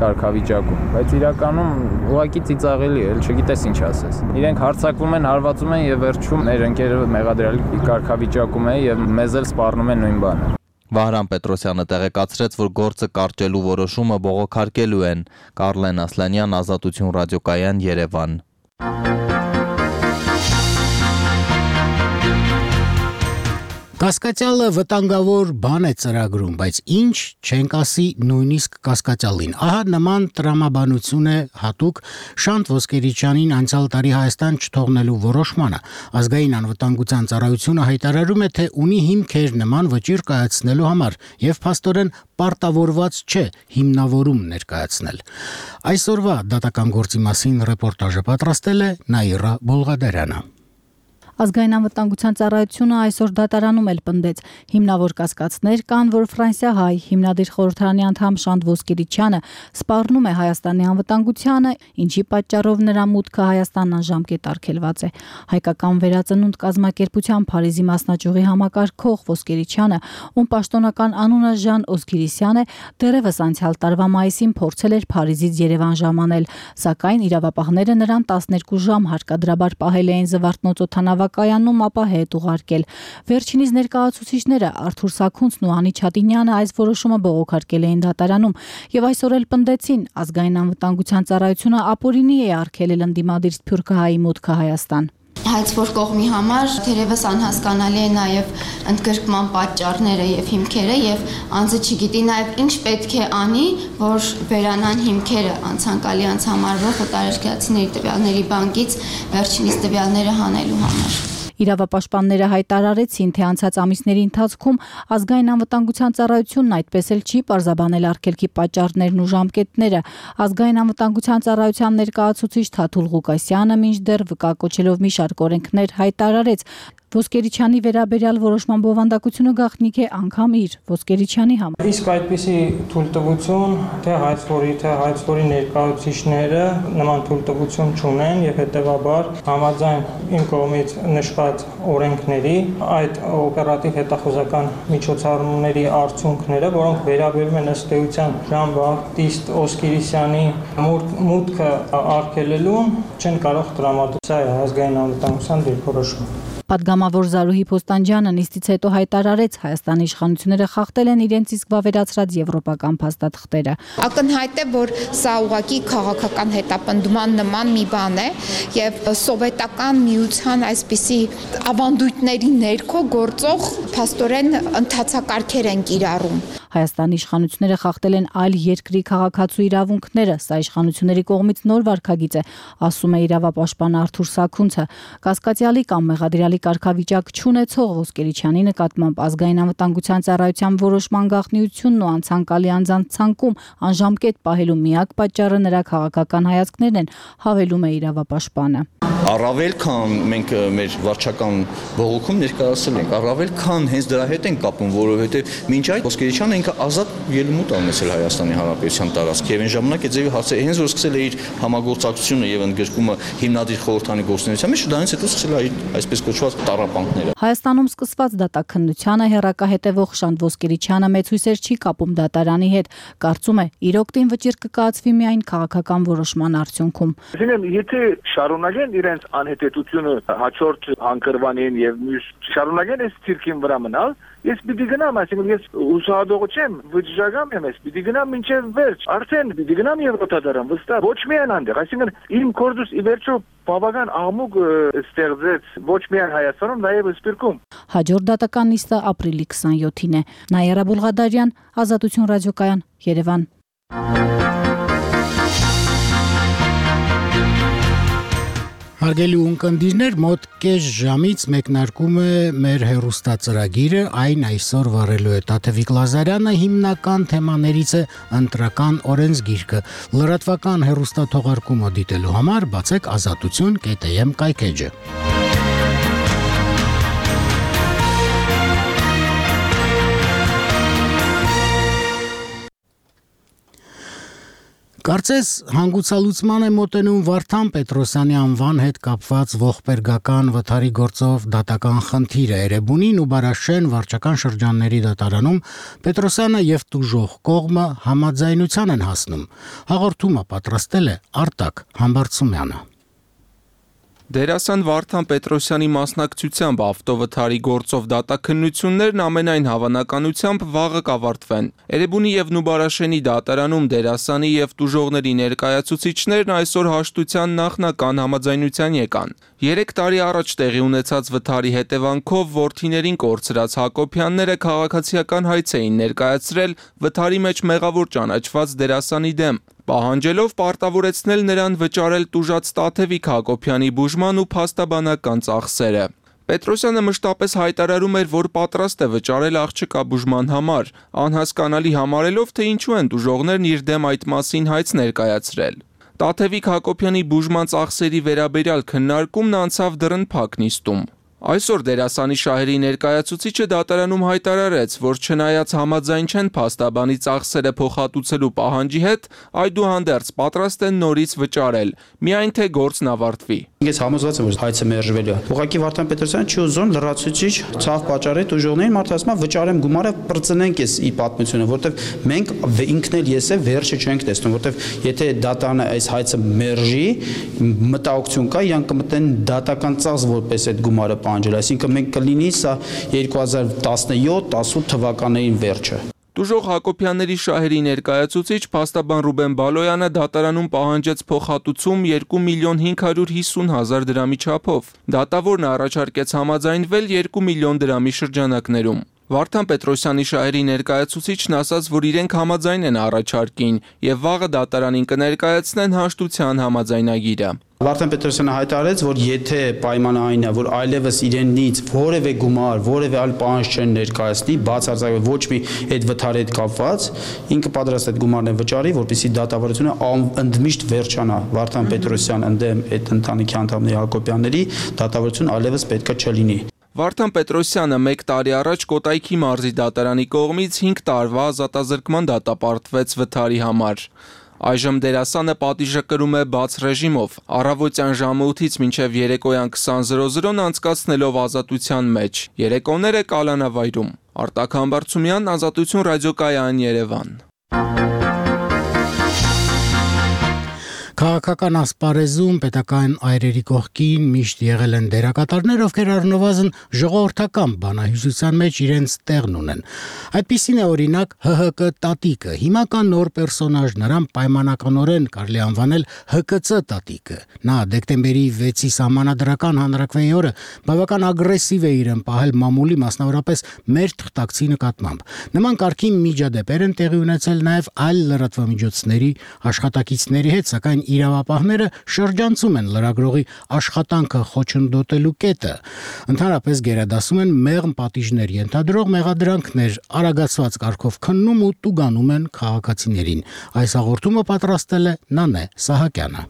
կարգավիճակում, բայց իրականում ուղղակի ծիծաղելի է, չգիտես ինչ ասես։ Իրենք հարձակվում են, հարվածում են եւ վերջում մեր ընկերը մեղադրյալի կարգավիճակում է եւ մեզ էլ սպառնում են նույն բանը։ Վահրամ Պետրոսյանը տեղեկացրեց, որ գործը կարճելու որոշումը բողոքարկելու են։ Կարլեն Ասլանյան, Ազատություն ռադիոկայան, Երևան։ Կասկածյալը վտանգավոր բան է ծրագրում, բայց ինչ չենք ասի նույնիսկ կասկածյալին։ Ահա նման տրամաբանություն է հատուկ Շանթ Ոսկերիչյանին անցյալ տարի Հայաստան չթողնելու որոշմանը։ Ազգային անվտանգության ծառայությունը հայտարարում է, թե ունի հիմքեր նման վճիռ կայացնելու համար եւ փաստորեն պարտավորված չէ հիմնավորում ներկայացնել։ Այսօրվա դատական գործի մասին ռեպորտաժը պատրաստել է Նաիրա Բոլղադարյանը։ Ազգային անվտանգության ծառայությունը այսօր դատարանում էլ պնդեց հիմնավոր կասկածներ կան, որ ֆրանսիահայ հիմնադիր խորհրդարանի անդամ Շանթ Ոսկերիչյանը սպառնում է Հայաստանի անվտանգությանը, ինչի պատճառով նրա մուտքը Հայաստան անժամկետ արգելված է։ Հայկական վերածնունդ կազմակերպության Փարիզի մասնաճյուղի համակարգող Ոսկերիչյանը, ում պաշտոնական անունը Ժան Օսկիրիսյան է, դեռևս անցյալ տարվա մայիսին փորձել էր Փարիզից Երևան ժամանել, սակայն իրավապահները նրան տասներկու ժամ հարկադրաբար պահել էին Զվարթնոց օդանավակայանում, ապա հետ ուղարկել։ Վերջինիս ներկայացուցիչները Արթուր Սաքունցն ու Անի Չատինյանը այս որոշումը բողոքարկել էին դատարանում եւ այսօր էլ պնդեցին ազգային անվտանգության ծառայությունը ապօրինի է արգելել ընդդիմադիր սփյուռքահայի մուտքը Հայաստան։ Հայցվոր կողմի համար թերևս անհասկանալի է նաև ընդգրկման պատճառները եւ հիմքերը եւ անձը չգիտի նաև ինչ պետք է անի, որ վերանան հիմքերը անցանկալի անցամարվող օտարերկրացիների տվյալների բանկից վերջինիս տվյալները հանելու համար։ Իրավապաշտպանները հայտարարեցին, թե անցած ամիսների ընթացքում ազգային անվտանգության ծառայությունն այդպես էլ չի պարզաբանել արգելքի պատճառներն ու ժամկետները։ Ազգային անվտանգության ծառայության ներկայացուցիչ Թաթուլ Ղուկասյանը մինչդեռ վկա-կոչելով մի շարք օրենքներ հայտարարեց։ Ոսկերիչյանի վերաբերյալ որոշման բովանդակությունը գաղտնիք է անգամ իր Ոսկերիչյանի համար։ Իսկ այդպիսի թույլտվություն թե հայցվորի, թե հայցվորի ներկայացուցիչները նման թույլտվություն չունեն եւ հետեւաբար համաձայն իմ կողմից նշված օրենքների այդ օպերատիվ հետախուզական միջոցառումների արդյունքները, որոնք վերաբերում են ըստ էության Ժան Բապտիստ Օսկիրիսյանի մուտքը արգելելուն, չեն կարող տրամադրել։ Սա է ազգային անվտանգության դիրքորոշումը։ Պատգամավոր Զարուհի Փոստանջյանը նիստից հետո հայտարարեց Հայաստանի իշխանությունները խախտել են իրենց իսկ վավերացրած եվրոպական փաստաթղթերը։ Ակնհայտ է, որ սա ուղղակի քաղաքական հետապնդման նման մի բան է եւ սովետական միության այսպիսի ավանդույթների ներքո գործող փաստորեն ընթացակարգեր են կիրառում։ Հայաստանի իշխանությունները խախտել են այլ երկրի քաղաքացու իրավունքները, սա իշխանությունների կողմից նոր վարքագիծ է, ասում է իրավապաշտպան Արթուր Սաքունցը։ Կասկածյալի կամ մեղադրյալի կարգավիճակ չունեցող Ոսկերիչյանի նկատմամբ ազգային անվտանգության ծառայության որոշման գաղտնիությունն ու անցանկալի անձանց ցանկում անժամկետ պահելու միակ պատճառը նրա քաղաքական հայացքներն են, հավելում է իրավապաշտպանը։ Առավել քան մենք մեր վարչական բողոքում ներկայացել ենք, առավել քան հենց դրա հետ են կապում, որովհետև մինչ այդ Ոսկերիչյանը ինքը ազատ ելումուտ ունեցել Հայաստանի Հանրապետության տարածք եւ այն ժամանակ է ձևի հասել հենց որ սկսել է իր համագործակցությունը եւ ընդգրկումը հիմնադիր խորհրդանի գործունեության մեջ, դրանից հետո սկսել է այսպես կոչված տառապանքները։ Հայաստանում սկսված դատաքննությանը հերակա հետևող Շանթ Ոսկերիչյանը մեծ հույսեր չի կապում դատարանի հետ, կարծում է իր օգտին վճիռ կկայացվի միայն քաղաքական որոշման արդյունքում։ Այսինքն, եթե շարունակեն իրենց անհետեցությունը հաջորդ հանգրվանին եւ մյուս շարունակեն այս ցիրկին վրա մնալ, ես պիտի գնամ, այսինքն ես ուսահատող չեմ, վճռական եմ, ես պիտի գնամ մինչև վերջ։ Արդեն պիտի գնամ Եվրոպադարան, վստահ, ոչ միայն այնտեղ, այսինքն իմ կորձս ի վերջո բավական աղմուկ ստեղծեց ոչ միայն Հայաստանում, նաև Սփյուռքում։ Հաջորդ դատական նիստը ապրիլի քսանյոթին է։ Նաիրա Բոլղադարյան, Ազատություն ռադիոկայան, Երևան։ Հարգելի ունկնդիրներ, մոտ կես ժամից մեկնարկում է մեր հեռուստածրագիրը, այն այսօր վարելու է Տաթևիկ Լազարյանը, հիմնական թեմաներից է ընտրական օրենսգիրքը։ Լրատվական հեռուստաթողարկումը դիտելու համար բացեք ազատություն կետ է էմ կայքեջը։ Կարծես հանգուցալուծման է մոտենում Վարդան Պետրոսյանի անվան հետ կապված ողբերգական վթարի գործով դատական խնդիրը Էրեբունին ու Բարաշեն վարչական շրջանների դատարանում Պետրոսյանը եւ տուժող կողմը համաձայնության են հասնում։ Հաղորդումը պատրաստել է Արտակ Համբարձումյանը։ Դերասան Վարդան Պետրոսյանի մասնակցությամբ ավտովթարի գործով դատաքննություններն ամենայն հավանականությամբ վաղը կավարտվեն։ Էրեբունի եւ Նուբարաշենի դատարանում դերասանի եւ տուժողների ներկայացուցիչներն այսօր հաշտության նախնական համաձայնության եկան։ Երեք տարի առաջ տեղի ունեցած վթարի հետևանքով որդիներին կորցրած Հակոբյանները քաղաքացիական հայց էին ներկայացրել վթարի մեջ մեղավոր ճանաչված դերասանի դեմ, պահանջելով պարտավորեցնել նրան վճարել տուժած Տաթևիկ Հակոբյանի բուժման ու փաստաբանական ծախսերը։ Պետրոսյանը մշտապես հայտարարում էր, որ պատրաստ է վճարել աղջկա բուժման համար, անհասկանալի համարելով, թե ինչու են տուժողներն իր դեմ այդ մասին հայց ներկայացրել։ Տաթևիկ Հակոբյանի բուժման ծախսերի վերաբերյալ քննարկումն անցավ դռնփակ նիստում։ Այսօր դերասանի շահերի ներկայացուցիչը դատարանում հայտարարեց, որ չնայած համաձայն չեն փաստաբանի ծախսերը փոխհատուցելու պահանջի հետ, այդուհանդերձ պատրաստ են նորից վճարել, միայն թե գործն ավարտվի։ Ես համոզված եմ, որ հայցը մերժվելու է։ Ուղղակի Վարդան Պետրոսյանը չի ուզում լրացուցիչ ցավ պատճառի տուժողներին մարդը ասում է վճարեմ գումարը, բրծնենք էս ի պատմությունը, որտեվ մենք ինքն էլ ես է վերջը չենք տեսնում, որտեվ եթե դատանը այս հայցը մերժի, մտահոգություն կա, իրենք կմտնեն դատական ծախս որպես այդ գումարը պահանջել, այսինքն մենք կլինի սա երկու հազար տասնյոթ տասնութ թվականներին վերջը։ Տուժող Հակոբյանների շահերի ներկայացուցիչ փաստաբան Ռուբեն Բալոյանը դատարանում պահանջեց փոխհատուցում երկու միլիոն հինգ հարյուր հիսուն հազար դրամի չափով։ Դատավորն առաջարկեց համաձայնվել երկու միլիոն դրամի շրջանակներում։ Վարդան Պետրոսյանի շահերի ներկայացուցիչն ասաց, որ իրենք համաձայն են առաջարկին եւ վաղը դատարանին կներկայացնեն հաշտության համաձայնագիրը։ Վարդան Պետրոսյանը հայտարարեց, որ եթե պայմանը այն է, որ այլևս իրենից որևէ գումար, որևէ այլ պահանջ չեն ներկայացնի, բացարձակ ոչ մի այդ վթարի հետ կապված, ինքը պատրաստ է այդ գումարն վճարի, որպեսզի դատավարությունը ընդմիշտ վերջանա։ Վարդան Պետրոսյան ընդդեմ այդ ընտանիքի անդամների Հակոբյանների դատավարություն այլևս պետքա չլինի։ Վարդան Պետրոսյանը մեկ տարի առաջ Կոտայքի մարզի դատարանի կողմից հինգ տարվա ազատազրկման դատապարտվեց վթարի համար։ Այժմ դերասանը պատիժը կրում է բաց ռեժիմով, առավոտյան ժամը ութից մինչև երեկոյան քսան զրո զրոն անցկացնելով ազատության մեջ։ Երեկոները կալանավայրում։ Արտակ Համբարձումյան, Ազատություն ռադիոկայան, Երևան։ Քաղաքական ասպարեզում պետական այրերի կողքին միշտ եղել են դերակատարներ, ովքեր առնվազն ժողովրդական բանահյուսության մեջ իրենց տեղն ունեն։ Այդպիսին է օրինակ ՀՀԿ տատիկը, հիմա կա նոր պերսոնաժ, նրան պայմանականորեն կարելի անվանել ՀԿՑ տատիկը։ Նա դեկտեմբերի վեցի սահմանադրական հանրաքվեի օրը բավական ագրեսիվ է իրեն պահել մամուլի, մասնավորապես մեր թղթակցի նկատմամբ։ Նման կարգի միջադեպեր են տեղի ունեցել նաև այլ լրատվամիջոցների աշխատակիցների հետ, սակայն իրավապահները շրջանցում են լրագրողի աշխատանքը խոչընդոտելու կետը։ Ընդհանրապես գերադասում են մեղմ պատիժներ ենթադրող մեղադրանքներ, արագացված կարգով քննում ու տուգանում են քաղաքացիներին։ Այս հաղորդումը պատրաստել է Նանե Սահակյանը։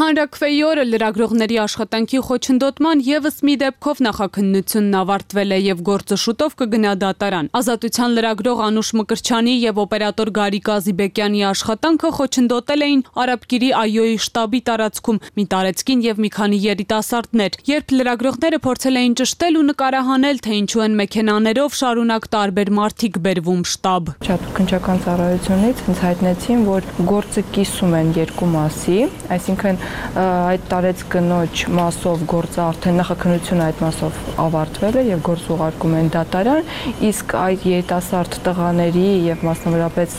Հանրաքվեի օրը լրագրողների աշխատանքի խոչընդոտման եւս մի դեպքով նախաքննությունն ավարտվել է եւ գործը շուտով կգնա դատարան։ Ազատության լրագրող Անուշ Մկրչյանի եւ օպերատոր Գարիկ Ազիբեկյանի աշխատանքը խոչընդոտել էին Արաբկիրի ԱՅՈ-ի շտաբի տարածքում մի տարեցկին եւ մի քանի երիտասարդներ։ Երբ լրագրողները փորձել էին ճշտել ու նկարահանել, թե ինչու են մեքենաներով շարունակ տարբեր մարդիկ բերվում շտաբ։ Չաթուքնչական ծառայությունից ինձ հայտնեցին, որ գործը կիսում են երկու մասի, այսինքն այդ տարեց կնոջ մասով գործը արդեն նախաքննությունը այդ մասով ավարտվել է եւ գործ ուղարկում են դատարան, իսկ այդ երիտասարդ տղաների եւ մասնավորապես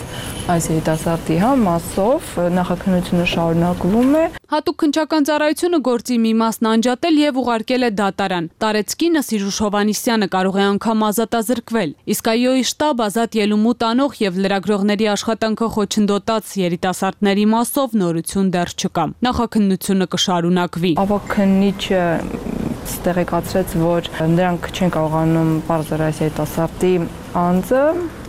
այս երիտասարդի հա մասով նախաքննությունը շարունակվում է։ Հատուկ քննչական ծառայությունը գործի մի մասն անջատել եւ ուղարկել է դատարան։ Տարեցկինը Սիրուշ Հովանիսյանը կարող է անգամ ազատազրկվել, իսկ ԱՅՈ-ի շտաբ ազատ ելումու տանող եւ լրագրողների աշխատանքը խոչընդոտած երիտասարդների մասով նորություն դեռ չկա։ Նախաքննությունը կշարունակվի։ Ավագ քննիչը տեղեկացրեց, որ նրանք չեն կարողանում բարձր այս երիտասարդի անձը,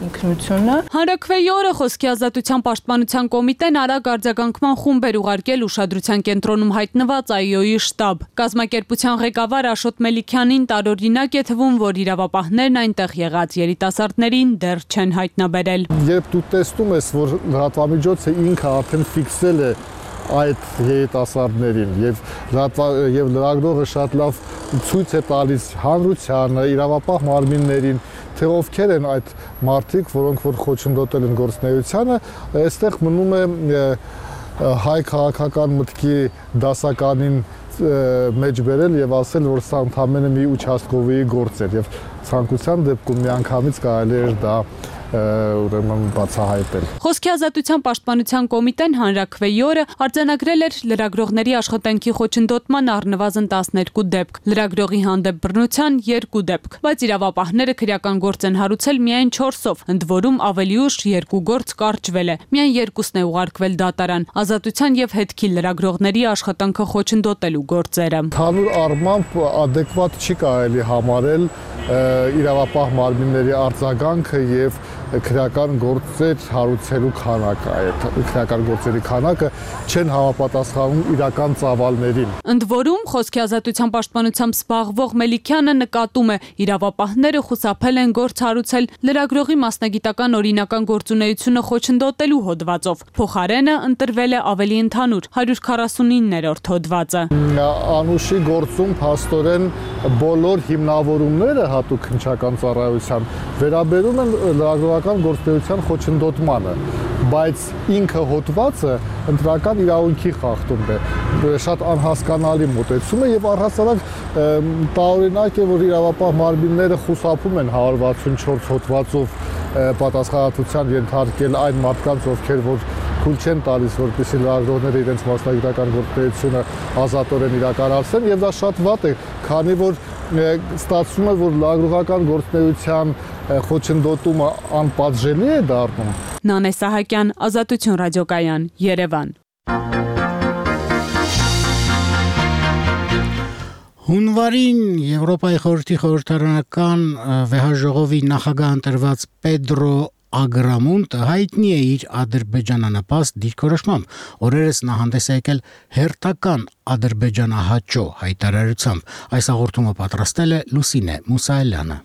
ինքնությունը։ Հանրաքվեի օրը Խոսքի ազատության պաշտպանության կոմիտեն արագ արձագանքման խումբ էր ուղարկել ուշադրության կենտրոնում հայտնված Այ Օ-ի շտաբ։ Կազմակերպության ղեկավար Աշոտ Մելիքյանին տարօրինակ է թվում, որ իրավապահներն այնտեղ եղած երիտասարդներին դեռ չեն հայտնաբերել։ Երբ դու տեսնում ես, որ լրատվամիջոցը ինքը արդեն ֆիքսել է այդ երիտասարդներին եւ եւ լրագրողը շատ լավ ցույց է տալիս հանրությանը, իրավապահ մարմիններին, թե ովքեր են այդ մարդիկ, որոնք որ խոչընդոտել են գործունեությանը, այստեղ մնում է հայ քաղաքական մտքի դասականին մեջ բերել եւ ասել, որ սա ընդամենը մի ուչաստկովի գործ էր եւ ցանկության դեպքում միանգամից կարելի էր դա ուրեմն բացահայտել։ Խոսքի ազատության պաշտպանության կոմիտեն հանրաքվեի օրը արձանագրել էր լրագրողների աշխատանքի խոչընդոտման առնվազն տասներկու դեպք, լրագրողի հանդեպ բռնության երկու դեպք, բայց իրավապահները քրեական գործ են հարուցել միայն չորսով, ընդ որում ավելի ուշ երկու գործ կարճվել է, միայն երկուսն է ուղարկվել դատարան, ազատության եւ հետքի լրագրողների աշխատանքը խոչընդոտելու գործերը։ Հանուր առմամբ adekvat չի կարելի համարել իրավապահ մարմինների արձագանքը եւ քրեական գործեր հարուցելու քանակը, այդ քրեական գործերի քանակը չեն համապատասխանում իրական ծավալներին։ Ընդ որում, Խոսքի ազատության պաշտպանությամբ զբաղվող Մելիքյանը նկատում է, իրավապահները խուսափել են գործ հարուցել լրագրողի մասնագիտական օրինական գործունեությունը խոչընդոտելու հոդվածով։ Փոխարենը ընտրվել է ավելի ընդհանուր հարյուր քառասունիններորդ հոդվածը։ Անուշի գործում փաստորեն բոլոր հիմնավորումները հատուկ քննչական ծառայության վերաբերում են լրագրողական գործունեության խոչընդոտմանը, բայց ինքը հոդվածը ընտրական իրավունքի խախտում է, շատ անհասկանալի մոտեցում է եւ առհասարակ տարօրինակ է, որ իրավապահ մարմինները խուսափում են հարյուր վաթսունչորս հոդվածով պատասխանատվության ենթարկել այն մարդկանց, ովքեր որ քուլ չեն տալիս, որպեսզի լրագրողները իրենց մասնագիտական գործունեությունը ազատորեն իրականացնեն եւ դա շատ վատ է, քանի որ ստացվում է, որ լրագրողական գործունեության խոչընդոտումը անպատժելի է դառնում։ Նանե Սահակյան, Ազատություն ռադիոկայան, Երևան։ Հունվարին Եվրոպայի խորհրդի խորհրդարանական վեհաժողովի նախագահ ընտրված Պեդրո Ագրամոնտը հայտնի է իր ադրբեջանանպաստ դիրքորոշմամբ։ Օրերս նա հանդես է եկել հերթական ադրբեջանահաճո հայտարարությամբ։ Այս հաղորդումը պատրաստել է Լուսինե Մուսայելյանը։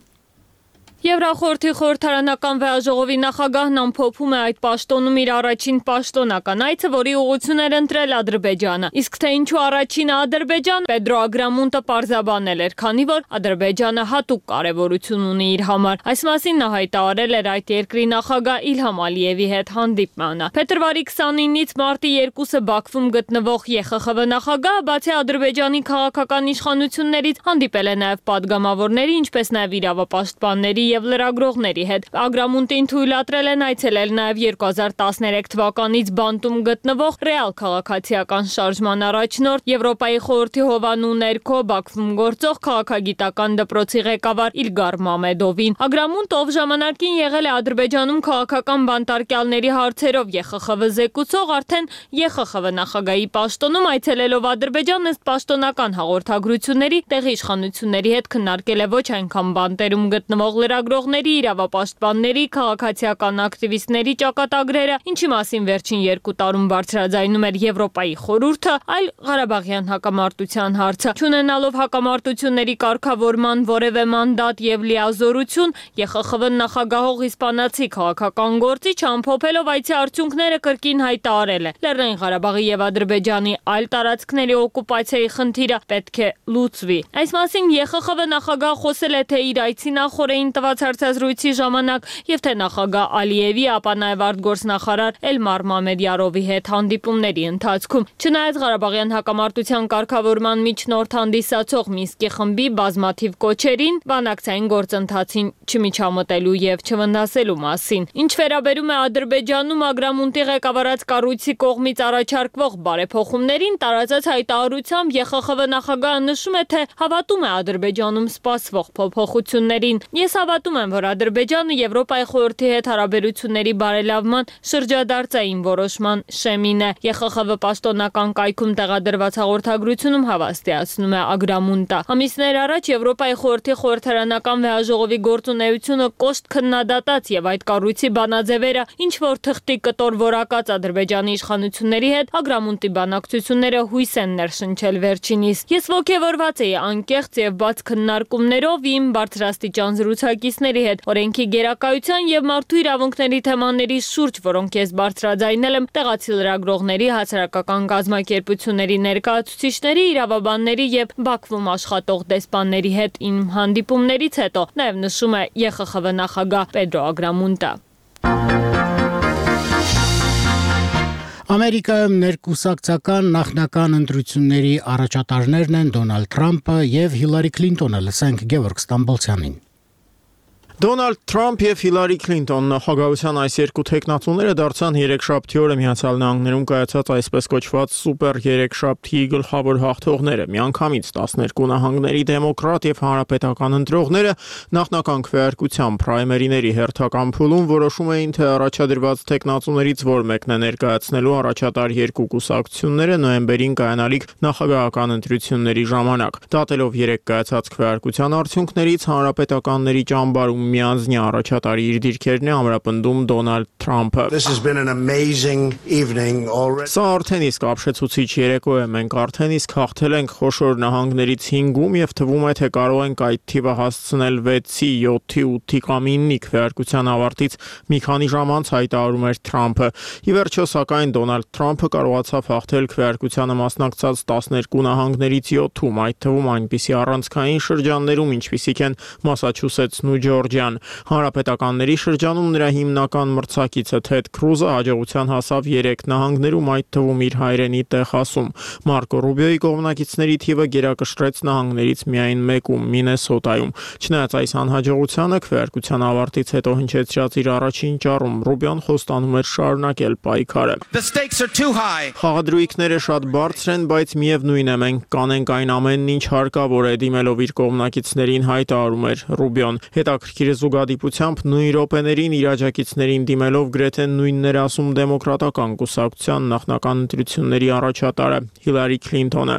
Եվրախորհրդի խորհրդարանական վեհաժողովի նախագահն ամփոփում է այդ պաշտոնում իր առաջին պաշտոնական այցը, որի ուղղություն էր ընտրել Ադրբեջանը։ Իսկ թե ինչու առաջինը Ադրբեջան, Պեդրո Ագրամոնտը պարզաբանել էր, քանի որ Ադրբեջանը հատուկ կարևորություն ունի իր համար։ Այս մասին նա հայտարարել էր այդ երկրի նախագահ Իլհամ Ալիևի հետ հանդիպմանը։ Փետրվարի քսանինից մարտի երկուսը Բաքվում գտնվող Է Խ Խ V նախագահը բացի Ադրբեջանի քաղաքական իշխանություններից հանդիպել է նաև падգամավորների, ինչպես նաև իրավապաշտպանների եւ լրագրողների հետ։ Ագրամոնտին թույլատրել են այցելել նաև երկու հազար տասներեք թվականից բանտում գտնվող Ռեալ քաղաքացիական շարժման առաջնորդ Եվրոպայի խորհրդի հովանու ներքո Բաքվում գործող քաղաքագիտական դպրոցի ղեկավար Իլգար Մամեդովին։ Ագրամոնտը, ով ժամանակին եղել է Ադրբեջանում քաղաքական բանտարկյալների հարցերով Է Խ Խ V զեկուցող, արդեն Է Խ Խ V նախագահի պաշտոնում այցելելով Ադրբեջան ըստ պաշտոնական հաղորդագրությունների տեղի իշխանությունների հետ քննարկել է ոչ այնքան բանտերում գտնվող լրագրողների, իրավապաշտպանների, քաղաքացիական ակտիվիստների ճակատագրերը, ինչի մասին վերջին երկու տարում բարձրաձայնում էր Եվրոպայի խորհուրդը, այլ Ղարաբաղյան հակամարտության հարցը։ Չունենալով հակամարտությունների կարգավորման որևէ մանդատ եւ լիազորություն, Է Խ Խ V նախագահող իսպանացի քաղաքական գործիչ ամփոփելով այցի արդյունքները կրկին հայտարարել է. Լեռնային Ղարաբաղի եւ Ադրբեջանի այլ տարածքների օկուպացիայի խնդիրը պետք է լուծվի։ Այս մասին Է Խ Խ V նախագահը խոսել է թե իր այցի նախորդին տված հարցազրույցի ժամանակ եւ թե նախագահ Ալիևի, ապա նաեւ արտգործնախարար Էլմար Մամեդյարովի հետ հանդիպումների ընթացքում։ Չնայած Ղարաբաղյան հակամարտության կարգավորման միջնորդ հանդիսացող Մինսկի խմբի բազմաթիվ կոչերին, բանակցային գործընթացին չմիջամտելու եւ չվնասելու մասին։ Ինչ վերաբերում է Ադրբեջանում Ագրամոնտի ղեկավարած կառույցի կողմից առաջարկվող բարեփոխումներին, տարածած հայտարարությամբ Է Խ Խ V նախագահը նշում է, թե հավատում է Ադրբեջանում սպասվող փոփոխություններին։ Ես գնահատում են, որ Ադրբեջանը Եվրոպայի խորհրդի հետ հարաբերությունների բարելավման շրջադարձային որոշման շեմին է։ ԵԽԽՎ պաշտոնական կայքում տեղադրված հաղորդագրությունում հավաստիացնում է Ագրամունտա։ Ամիսներ առաջ Եվրոպայի խորհրդի խորհրդարանական վեհաժողովի գործունեությունը կոշտ քննադատած եւ այդ կառույցի բանաձևերը ինչ որ թղթի կտոր որակած Ադրբեջանի իշխանությունների հետ Ագրամունտի բանակցությունները հույս են ներշնչել վերջինիս։ Ես ոգևորված էի անկեղծ եւ բաց քննարկումներով իմ բարձրաստիճան զրուցակիցների հետ օրենքի գերակայության եւ մարդու իրավունքների թեմաների շուրջ, որոնք ես բարձրաձայնել եմ տեղացի լրագրողների, հասարակական կազմակերպությունների ներկայացուցիչների, իրավաբանների եւ Բաքվում աշխատող դեսպանների հետ իմ հանդիպումներից հետո, նաեւ նշում է ԵԽԽՎ նախագահ Պեդրո Ագրամունտա։ Ամերիկայում ներկուսակցական նախնական ընտրությունների առաջատարներն են Դոնալդ Թրամփը եւ Հիլարի Քլինտոնը, լսենք Գևորգ Ստամբոլցյանին։ Դոնալդ Թրամփ եւ Հիլարի Քլինտոն նախագահության այս երկու տեխնատուները դարձան երեքշաբթի օրը Միացյալ Նահանգներում կայացած այսպես կոչված սուպեր երեքշաբթի գլխավոր հաղթողները։ Միանգամից տասներկու նահանգների դեմոկրատ եւ հանրապետական ընտրողները նախնական քվեարկության պրայմերիների հերթական փուլում որոշում էին, թե առաջադրված տեխնատուներից որ մեկն է ներկայացնելու առաջատար երկու կուսակցությունները նոյեմբերին կայանալիք նախագահական ընտրությունների ժամանակ։ Դատելով երեք կայացած քվեարկության արդյունքներից հանրապետականների ճամբարում միանձնյա առաջատարի իր դիրքերն է ամրապնդում Դոնալդ Թրամփը։ Սա արդեն իսկ ապշեցուցիչ երեկո է, մենք արդեն իսկ հաղթել ենք խոշոր նահանգներից հինգում եւ թվում է, թե կարող ենք այդ թիվը հասցնել վեցի, յոթի, ութի կամ իննի քվեարկության ավարտից մի քանի ժամ անց հայտարարում էր Թրամփը։ Ի վերջո, սակայն Դոնալդ Թրամփը կարողացավ հաղթել քվեարկությանը մասնակցած տասներկու նահանգներից յոթում, այդ թվում այնպիսի առանցքային շրջաններում, ինչպիսիք են Մասաչուսեթսն ու Ջորջիան։ Հանրապետականների շրջանում նրա հիմնական մրցակիցը Թեդ Քրուզը հաջողության հասավ երեք նահանգներում, այդ թվում իր հայրենի Տեխասում։ Մարկո Ռուբիոյի կողմնակիցների թիվը գերակշռեց նահանգներից միայն մեկում՝ Մինեսոտայում։ Չնայած այս անհաջողությանը քվեարկության ավարտից հետո հնչեցրած իր առաջին ճառում Ռուբիոն խոստանում էր շարունակել պայքարը։ Խաղադրույքները շատ բարձր են, բայց միևնույն է, մենք կանենք այն ամենն, ինչ հարկավոր է, դիմելով իր կողմնակիցներին հայտարարում էր Ռուբիոն։ Հետաքրքիր զուգադիպությամբ նույն րոպեներին իր աջակիցներին դիմելով գրեթե նույնն էր ասում դեմոկրատական կուսակցության նախնական ընտրությունների առաջատարը Հիլարի Քլինտոնը։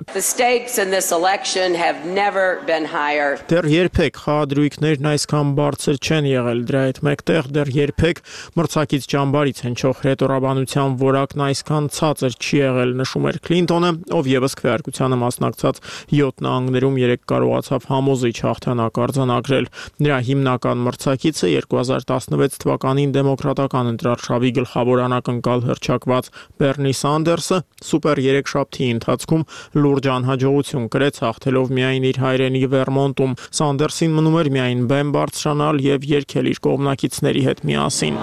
Դեռ երբեք խաղադրույքներն այսքան բարձր չեն եղել, դրա հետ մեկտեղ դեռ երբեք մրցակից ճամբարից հնչող հրետորաբանության որակն այսքան ցածր չի եղել, նշում էր Քլինտոնը, ով եւս քվեարկությանը մասնակցած յոթ նահանգներում երեք կարողացավ համոզիչ հաղթանակ արձանագրել։ Նրա հիմնական մրցակիցը երկու հազար տասնվեց թվականին դեմոկրատական ընտրարշավի գլխավոր անակնկալ հռչակված Բերնի Սանդերսը սուպեր երեքշաբթի ընթացքում լուրջ անհաջողություն կրեց, հաղթելով միայն իր հայրենի Վերմոնտում։ Սանդերսին մնում էր միայն բեմ բարձրանալ եւ երգել իր կողմնակիցների հետ միասին։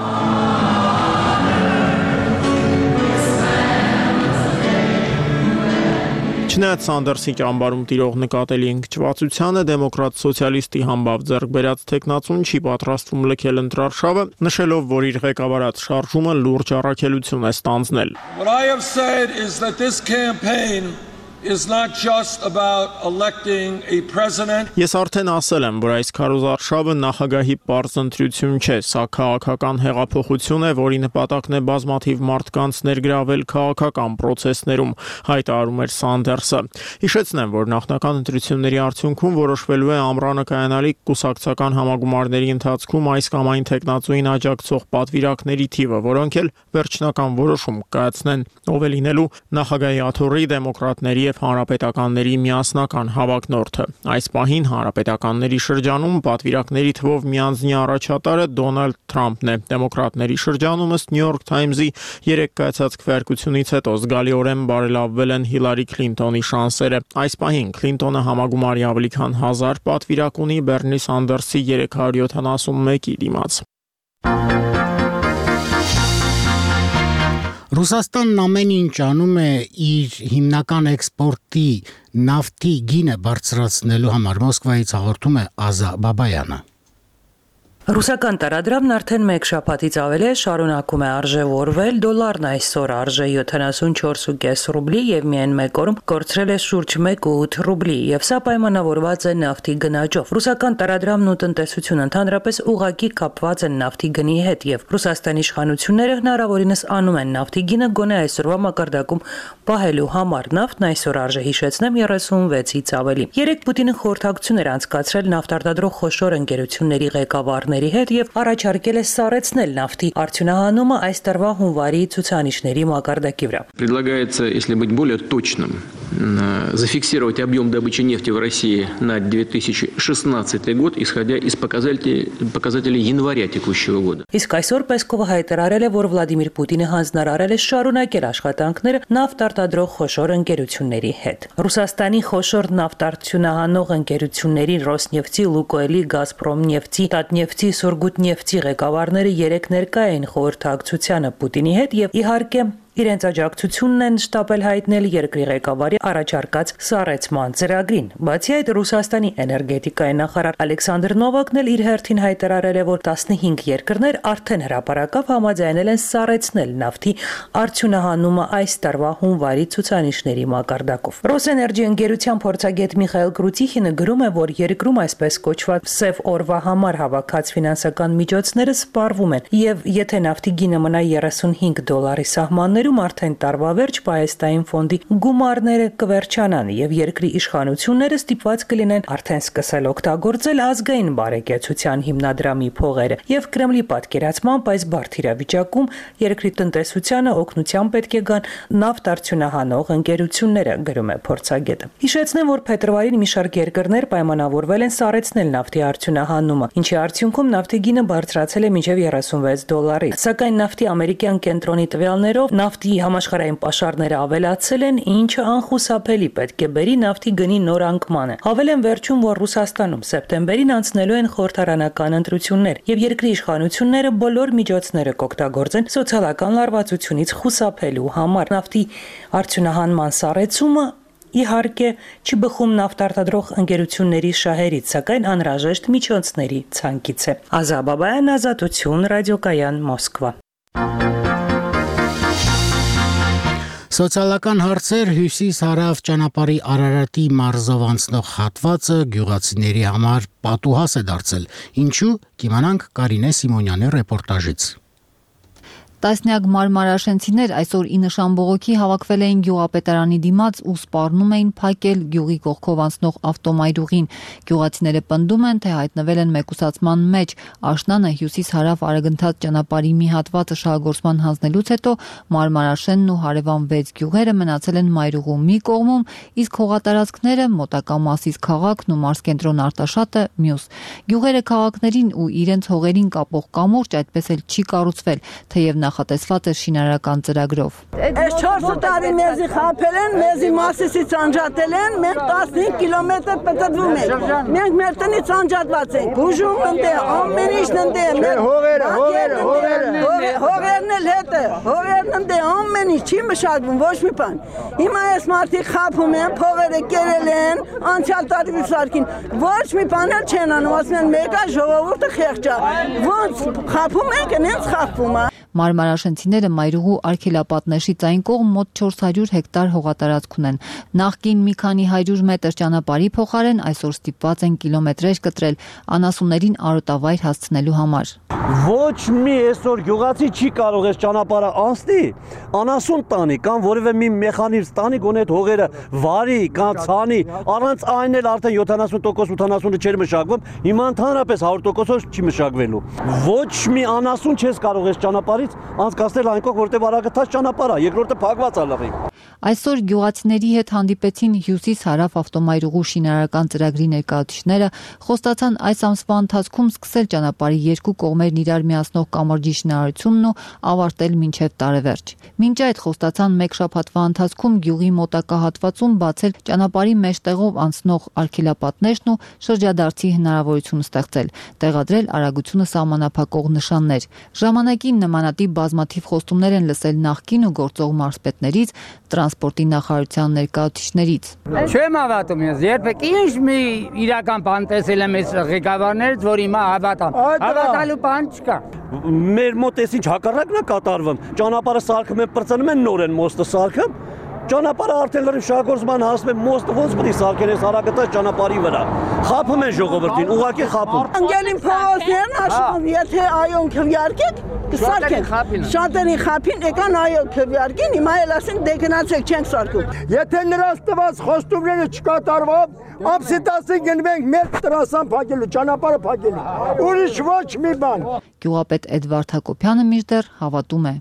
Չնայած Սանդերսի ճամբարում տիրող նկատելի ընկճվածությանը դեմոկրատ սոցիալիստի համբավ ձեռք բերած տեխնացուն չի պատրաստվում լքել ընտրարշավը, նշելով, որ իր ղեկավարած շարժումը լուրջ առաքելություն է ստանձնել։ What I have said is that this campaign is not just about electing a president. Ես արդեն ասել եմ, որ այս քարոզարշավը նախագահի պարզ ընտրություն չէ, սա քաղաքական հեղափոխություն է, որի նպատակն է բազմաթիվ մարդկանց ներգրավել քաղաքական process-ներում, հայտարարում էր Սանդերսը։ Հիշեցնեմ, որ նախնական ընտրությունների արդյունքում որոշվելու է ամռանը կայանալիք կուսակցական համագումարների ընթացքում այս կամ այն տեխնացուին աջակցող պատվիրակների թիվը, որոնք էլ վերջնական որոշում կայացնեն, ով է լինելու նախագահի աթոռի դեմոկրատների եւ հանրապետականների միասնական հավակնորդը։ Այս պահին հանրապետականների շրջանում պատվիրակների թվով միանձնյա առաջատարը Դոնալդ Թրամփն է։ Դեմոկրատների շրջանում ըստ New York Times-ի երեք կայացած քվեարկությունից հետո զգալիորեն բարելավվել են Հիլարի Քլինտոնի շանսերը։ Այս պահին Քլինտոնը համագումարի ավելի քան հազար պատվիրակ ունի Բերնի Սանդերսի երեք հարյուր յոթանասունմեկի դիմաց։ Ռուսաստանն ամեն ինչ անում է իր հիմնական էքսպորտի նավթի գինը բարձրացնելու համար, Մոսկվայից հաղորդում է Ազա Բաբայանը։ Ռուսական տարադրամն արդեն մեկ շաբաթից ավել է շարունակում է արժևորվել, դոլարն այսօր արժե յոթանասունչորս կόμμα պենս ռուբլի եւ միայն մեկ օրում կորցրել է շուրջ մեկ կόμμα ութ ռուբլի եւ սա պայմանավորված է նավթի գնաճով։ Ռուսական տարադրամն ու տնտեսությունը ընդհանրապես ուղղակի կապված են նավթի գնի հետ եւ Ռուսաստանի իշխանությունները հնարավորինս անում են նավթի գինը գոնե այսօրվա մակարդակում պահելու համար։ Նավթն այսօր արժե հիշեցնեմ երեսունվեցից ավելի։ Երեք Պուտինը խորհրդակցություն էր անցկացրել նավթարտադրող խոշոր ընկերությունների ղեկավարների հետ եւ առաջարկել է սառեցնել նավթի արդյունահանումը այս տարվա հունվարի ցուցանիշների մակարդակի вра. Предлагается, если быть более точным, зафиксировать объем добычи нефти в России на две тысячи шестнадцатый год, исходя из показателей, показателей января текущего года. Իսկ այսօր Պեսկովը հայտարարել է, որ Վլադիմիր Պուտինը հանձնարարել է շարունակել աշխատանքները նավթարտադրող խոշոր ընկերությունների հետ։ Ռուսաստանի խոշոր նավթարդյունահանող ընկերությունների Ռոսնեֆտի, Լուկոյլի, Գազպրոմնեֆտի, Տատնեֆտի, Սուրգուտնեֆտի ղեկավարները երեք ներկա էին խորհրդակցությանը Պուտինի հետ եւ իհարկե իրենց աջակցությունն են շտապել հայտնել երկրի ղեկավարի առաջարկած սառեցման ծրագրին։ Բացի այդ, Ռուսաստանի էներգետիկայի նախարար Ալեքսանդր Նովակն էլ իր հերթին հայտարարել է, որ տասնհինգ երկրներ արդեն հրապարակավ համաձայնել են սառեցնել նավթի արդյունահանումը այս տարվա հունվարի ցուցանիշների մակարդակով։ Ռոսէներգի ընկերության փորձագետ Միխայել Կրուտիխինը գրում է, որ երկրում այսպես կոչված սև օրվա համար հավաքած ֆինանսական միջոցները սպառվում են, եւ եթե նավթի գինը մնա երեսունհինգ դոլարի սահմաններ արդեն տարվա վերջ Պահեստային ֆոնդի գումարները կվերջանան եւ երկրի իշխանությունները ստիպված կլինեն արդեն սկսել օգտագործել ազգային բարեկեցության հիմնադրամի փողերը եւ Կրեմլի պատկերացմամբ այս բարդ իրավիճակում երկրի տնտեսությանը օգնության պետք է գան նավթարդյունահանող ընկերությունները, գրում է փորձագետը։ Հիշեցնեմ, որ փետրվարին մի շարք երկրներ պայմանավորվել են սառեցնել նավթի արդյունահանումը, ինչի արդյունքում նավթի գինը բարձրացել է մինչեւ երեսունվեց դոլարի։ Սակայն նավթի ամերիկյան կենտրոնի տվյալներով Նավթի համաշխարհային պաշարները ավելացել են, ինչը անխուսափելի պետք է բերի նավթի գնի նոր անկմանը։ Հավելեն վերջում, որ Ռուսաստանում սեպտեմբերին անցնելու են խորհրդարանական ընտրություններ, եւ երկրի իշխանությունները բոլոր միջոցները կօգտագործեն սոցիալական լարվածությունից խուսափելու համար։ Նավթի արդյունահանման սառեցումը իհարկե չի բխում նավթարտադրող ընկերությունների շահերից, սակայն անհրաժեշտ միջոցների ցանկից է։ Ազաբաբայան, Ազատություն, ռադիոկայան, Մոսկվա։ Սոցիալական հարցեր հյուսիս-հարավ ճանապարհի Արարատի մարզով անցնող հատվածը գյուղացիների համար պատուհաս է դարձել։ Ինչու՝ կիմանանք Կարինե Սիմոնյանի ռեպորտաժից։ Տասնյակ մարմարաշենցիներ այսօր ի նշան բողոքի հավաքվել էին գյուղապետարանի դիմաց ու սպառնում էին փակել գյուղի կողքով անցնող ավտոմայրուղին։ Գյուղացիները պնդում են, թե հայտնվել են մեկուսացման մեջ։ Աշնանը հյուսիս-հարավ արագընթաց ճանապարհի մի հատվածը շահագործման հանձնելուց հետո մարմարաշենն ու հարևան վեց գյուղերը մնացել են մայրուղու մի կողմում, իսկ հողատարածքները մոտակա Մասիս քաղաքն ու մարզկենտրոն Արտաշատը մյուս։ Գյուղերը քաղաքներին ու իրենց հողերին կապող կամուրջ այդպես էլ չի կառուցվել, թեև նախատեսված է շինարարական ծրագրով։ Այս չորս տարի մեզի խաբել են, մեզի Մասիսից անջատել են, մենք տասնհինգ կիլոմետր պտտվում ենք։ Մենք մեր տնից անջատված ենք։ Բուժում ընդ է, ամեն ինչն ընդ է։ Մեր հողերը, հողերը, հողերը, հողերն էլ հետը, հողերն ընդ է, ամեն ինչ չի մշակվում, ոչ մի բան։ Հիմա այս մարդիկ խաբում են, փողերը կերել են, անցյալ տարի սարքին, ոչ մի բան էլ չեն անում, ասում են մեկը ժողովուրդը խեղճ է։ Ոնց խաբում ենք, նենց խաբում է։ Մարմարաշենցիները մայրուղու արգելապատնեշից այն կողմ մոտ չորս հարյուր հեկտար հողատարածք ունեն։ Նախկին մի քանի հարյուր մետր ճանապարհի փոխարեն այսօր ստիպված են կիլոմետրեր կտրել անասուններին արոտավայր հասցնելու համար։ Ոչ մի այսօր գյուղացի չի կարող այս ճանապարհը անցնի, անասուն տանի կամ որևէ մի մեխանիզմ տանի, գոնե այդ հողերը վարի կամ ցանի, առանց այն էլ արդեն յոթանասուն տոկոս ութանասունը չէր մշակվում, հիմա ընդհանրապես հարյուր տոկոսով չի մշակվելու։ Ոչ մի անասուն չես կարող այս ճանապարհից անցկացնել այն կողմ, որտեղ արագընթաց ճանապարհ է, երկրորդը փակված է լղի։ Այսօր գյուղացիների հետ հանդիպեցին հյուսիս-հարավ ավտոմայրուղու շինարարական ծրագրի ներկայացուցիչները, խոստացան այս ամսվա ընթացքում սկսել ճանապարհի երկու կողմերն իրար միացնող կամրջի շինարարությունն ու ավարտել մինչև տարեվերջ։ Մինչ այդ խոստացան մեկ շաբաթվա ընթացքում գյուղի մոտակա հատվածում բացել ճանապարհի մեջտեղով անցնող արգելապատնեշն ու շրջադարձի հնարավորություն ստեղծել, տեղադրել արագությունը սահմանափակող նշաններ։ Ժամանակին նմանատիպ նկատի բազմաթիվ խոստումներ են լսել նախկին ու գործող մարզպետներից, տրանսպորտի նախարարության ներկայացուցիչներից։ Չեմ հավատում ես, երբեք ինչ մի իրական բան տեսել եմ այս ղեկավարներից, որ հիմա հավատամ։ Հավատալու բան չկա։ Մեր մոտ էս ինչ հակառակն է կատարվում։ Ճանապարհը սարքում են, պրծնում են նորեն մոստը սարքում։ Ճանապարհը արդեն լրիվ շահգործման հասնում է, մոստը ոնց պետք է սարքեն այս հարակտած ճանապարհի վրա։ Խափում են ժողովրդին, ուղղակի խափում։ Անգելին փողոցներն աշխատ, եթե այոն քվյարկեք, կսարքեն։ Շատերին խափին, եկան այո քվյարկին, հիմա էլ ասեն դե գնացեք չենք սարքում։ Եթե նրանց տված խոստումները չկատարվող, ամսի տասին գնվենք մեր տրասան փակելու, ճանապարհը փակելու։ Ուրիշ ոչ մի բան։ Գյուղապետ Էդվարդ Հակոբյանը մինչդեռ հավատում է։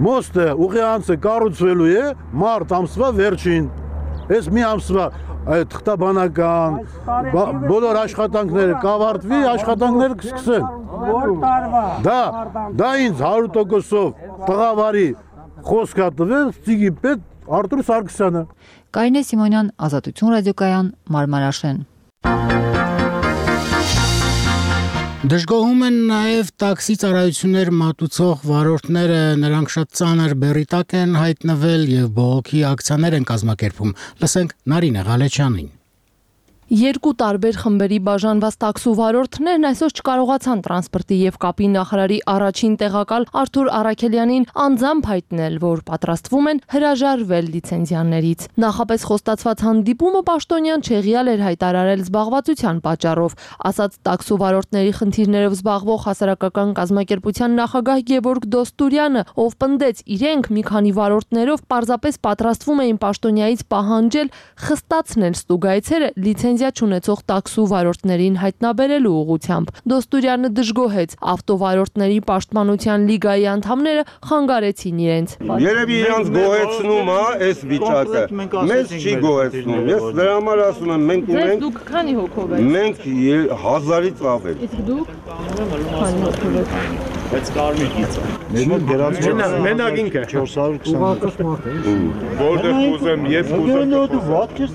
Մոստը ուղի անցը կառուցվելու է մարտ ամսվա վերջին։ Այս մի ամսվա այդ թղթաբանական բոլոր աշխատանքները կավարտվի, աշխատանքները կսկսեն։ Դա դա ինձ հարյուր տոկոսով տղավարի խոսք է տվել Ծիգի պետ Արտուր Սարգսյանը։ Կարինե Սիմոնյան, Ազատություն ռադիոկայան, Մարմարաշեն։ Դժգոհում են նաև տաքսի ծառայություններ մատուցող վարորդները, նրանք շատ ծանր բեռի տակ են հայտնվել եւ բողոքի ակցիաներ են կազմակերպում։ Լսենք Նարինե Ղալեչյանին։ Երկու տարբեր խմբերի բաժանված տաքսու վարորդներն այսօր չկարողացան տրանսպորտի եւ կապի նախարարի առաջին տեղակալ Արթուր Արաքելյանին անձամբ հայտնել, որ պատրաստվում են հրաժարվել լիցենզիաներից։ Նախապես խոստացված հանդիպումը պաշտոնյան չեղյալ էր հայտարարել զբաղվածության պատճառով, ասաց տաքսու վարորդների խնդիրներով զբաղվող հասարակական կազմակերպության նախագահ Գևորգ Դոստուրյանը, ով պնդեց իրենք մի քանի վարորդներով պարզապես պատրաստվում էին պաշտոնյայից պահանջել խստացնել ստուգայցերը լիցենզիա չունեցող տաքսու վարորդներին հայտնաբերելու ուղղությամբ։ Դոստուրյանը դժգոհեց ավտովարորդների պաշտպանության լիգայի անդամները խանգարեցին իրենց։ Երևի իրանց գոհեցնում է այս վիճակը։ Մեզ չի գոհեցնում։ Ես դրա համար ասում եմ, մենք ունենք Դուք քանի հոգով եք։ Մենք հազարից ավել։ Իսկ դուք քանի հոգով եք։ Բայց կարմիր գիծը։ Մենք դրանց մենակ ինքը չորս հարյուր քսան։ Որտեղ կուզեմ, երբ կուզեմ։ Դու ված ես։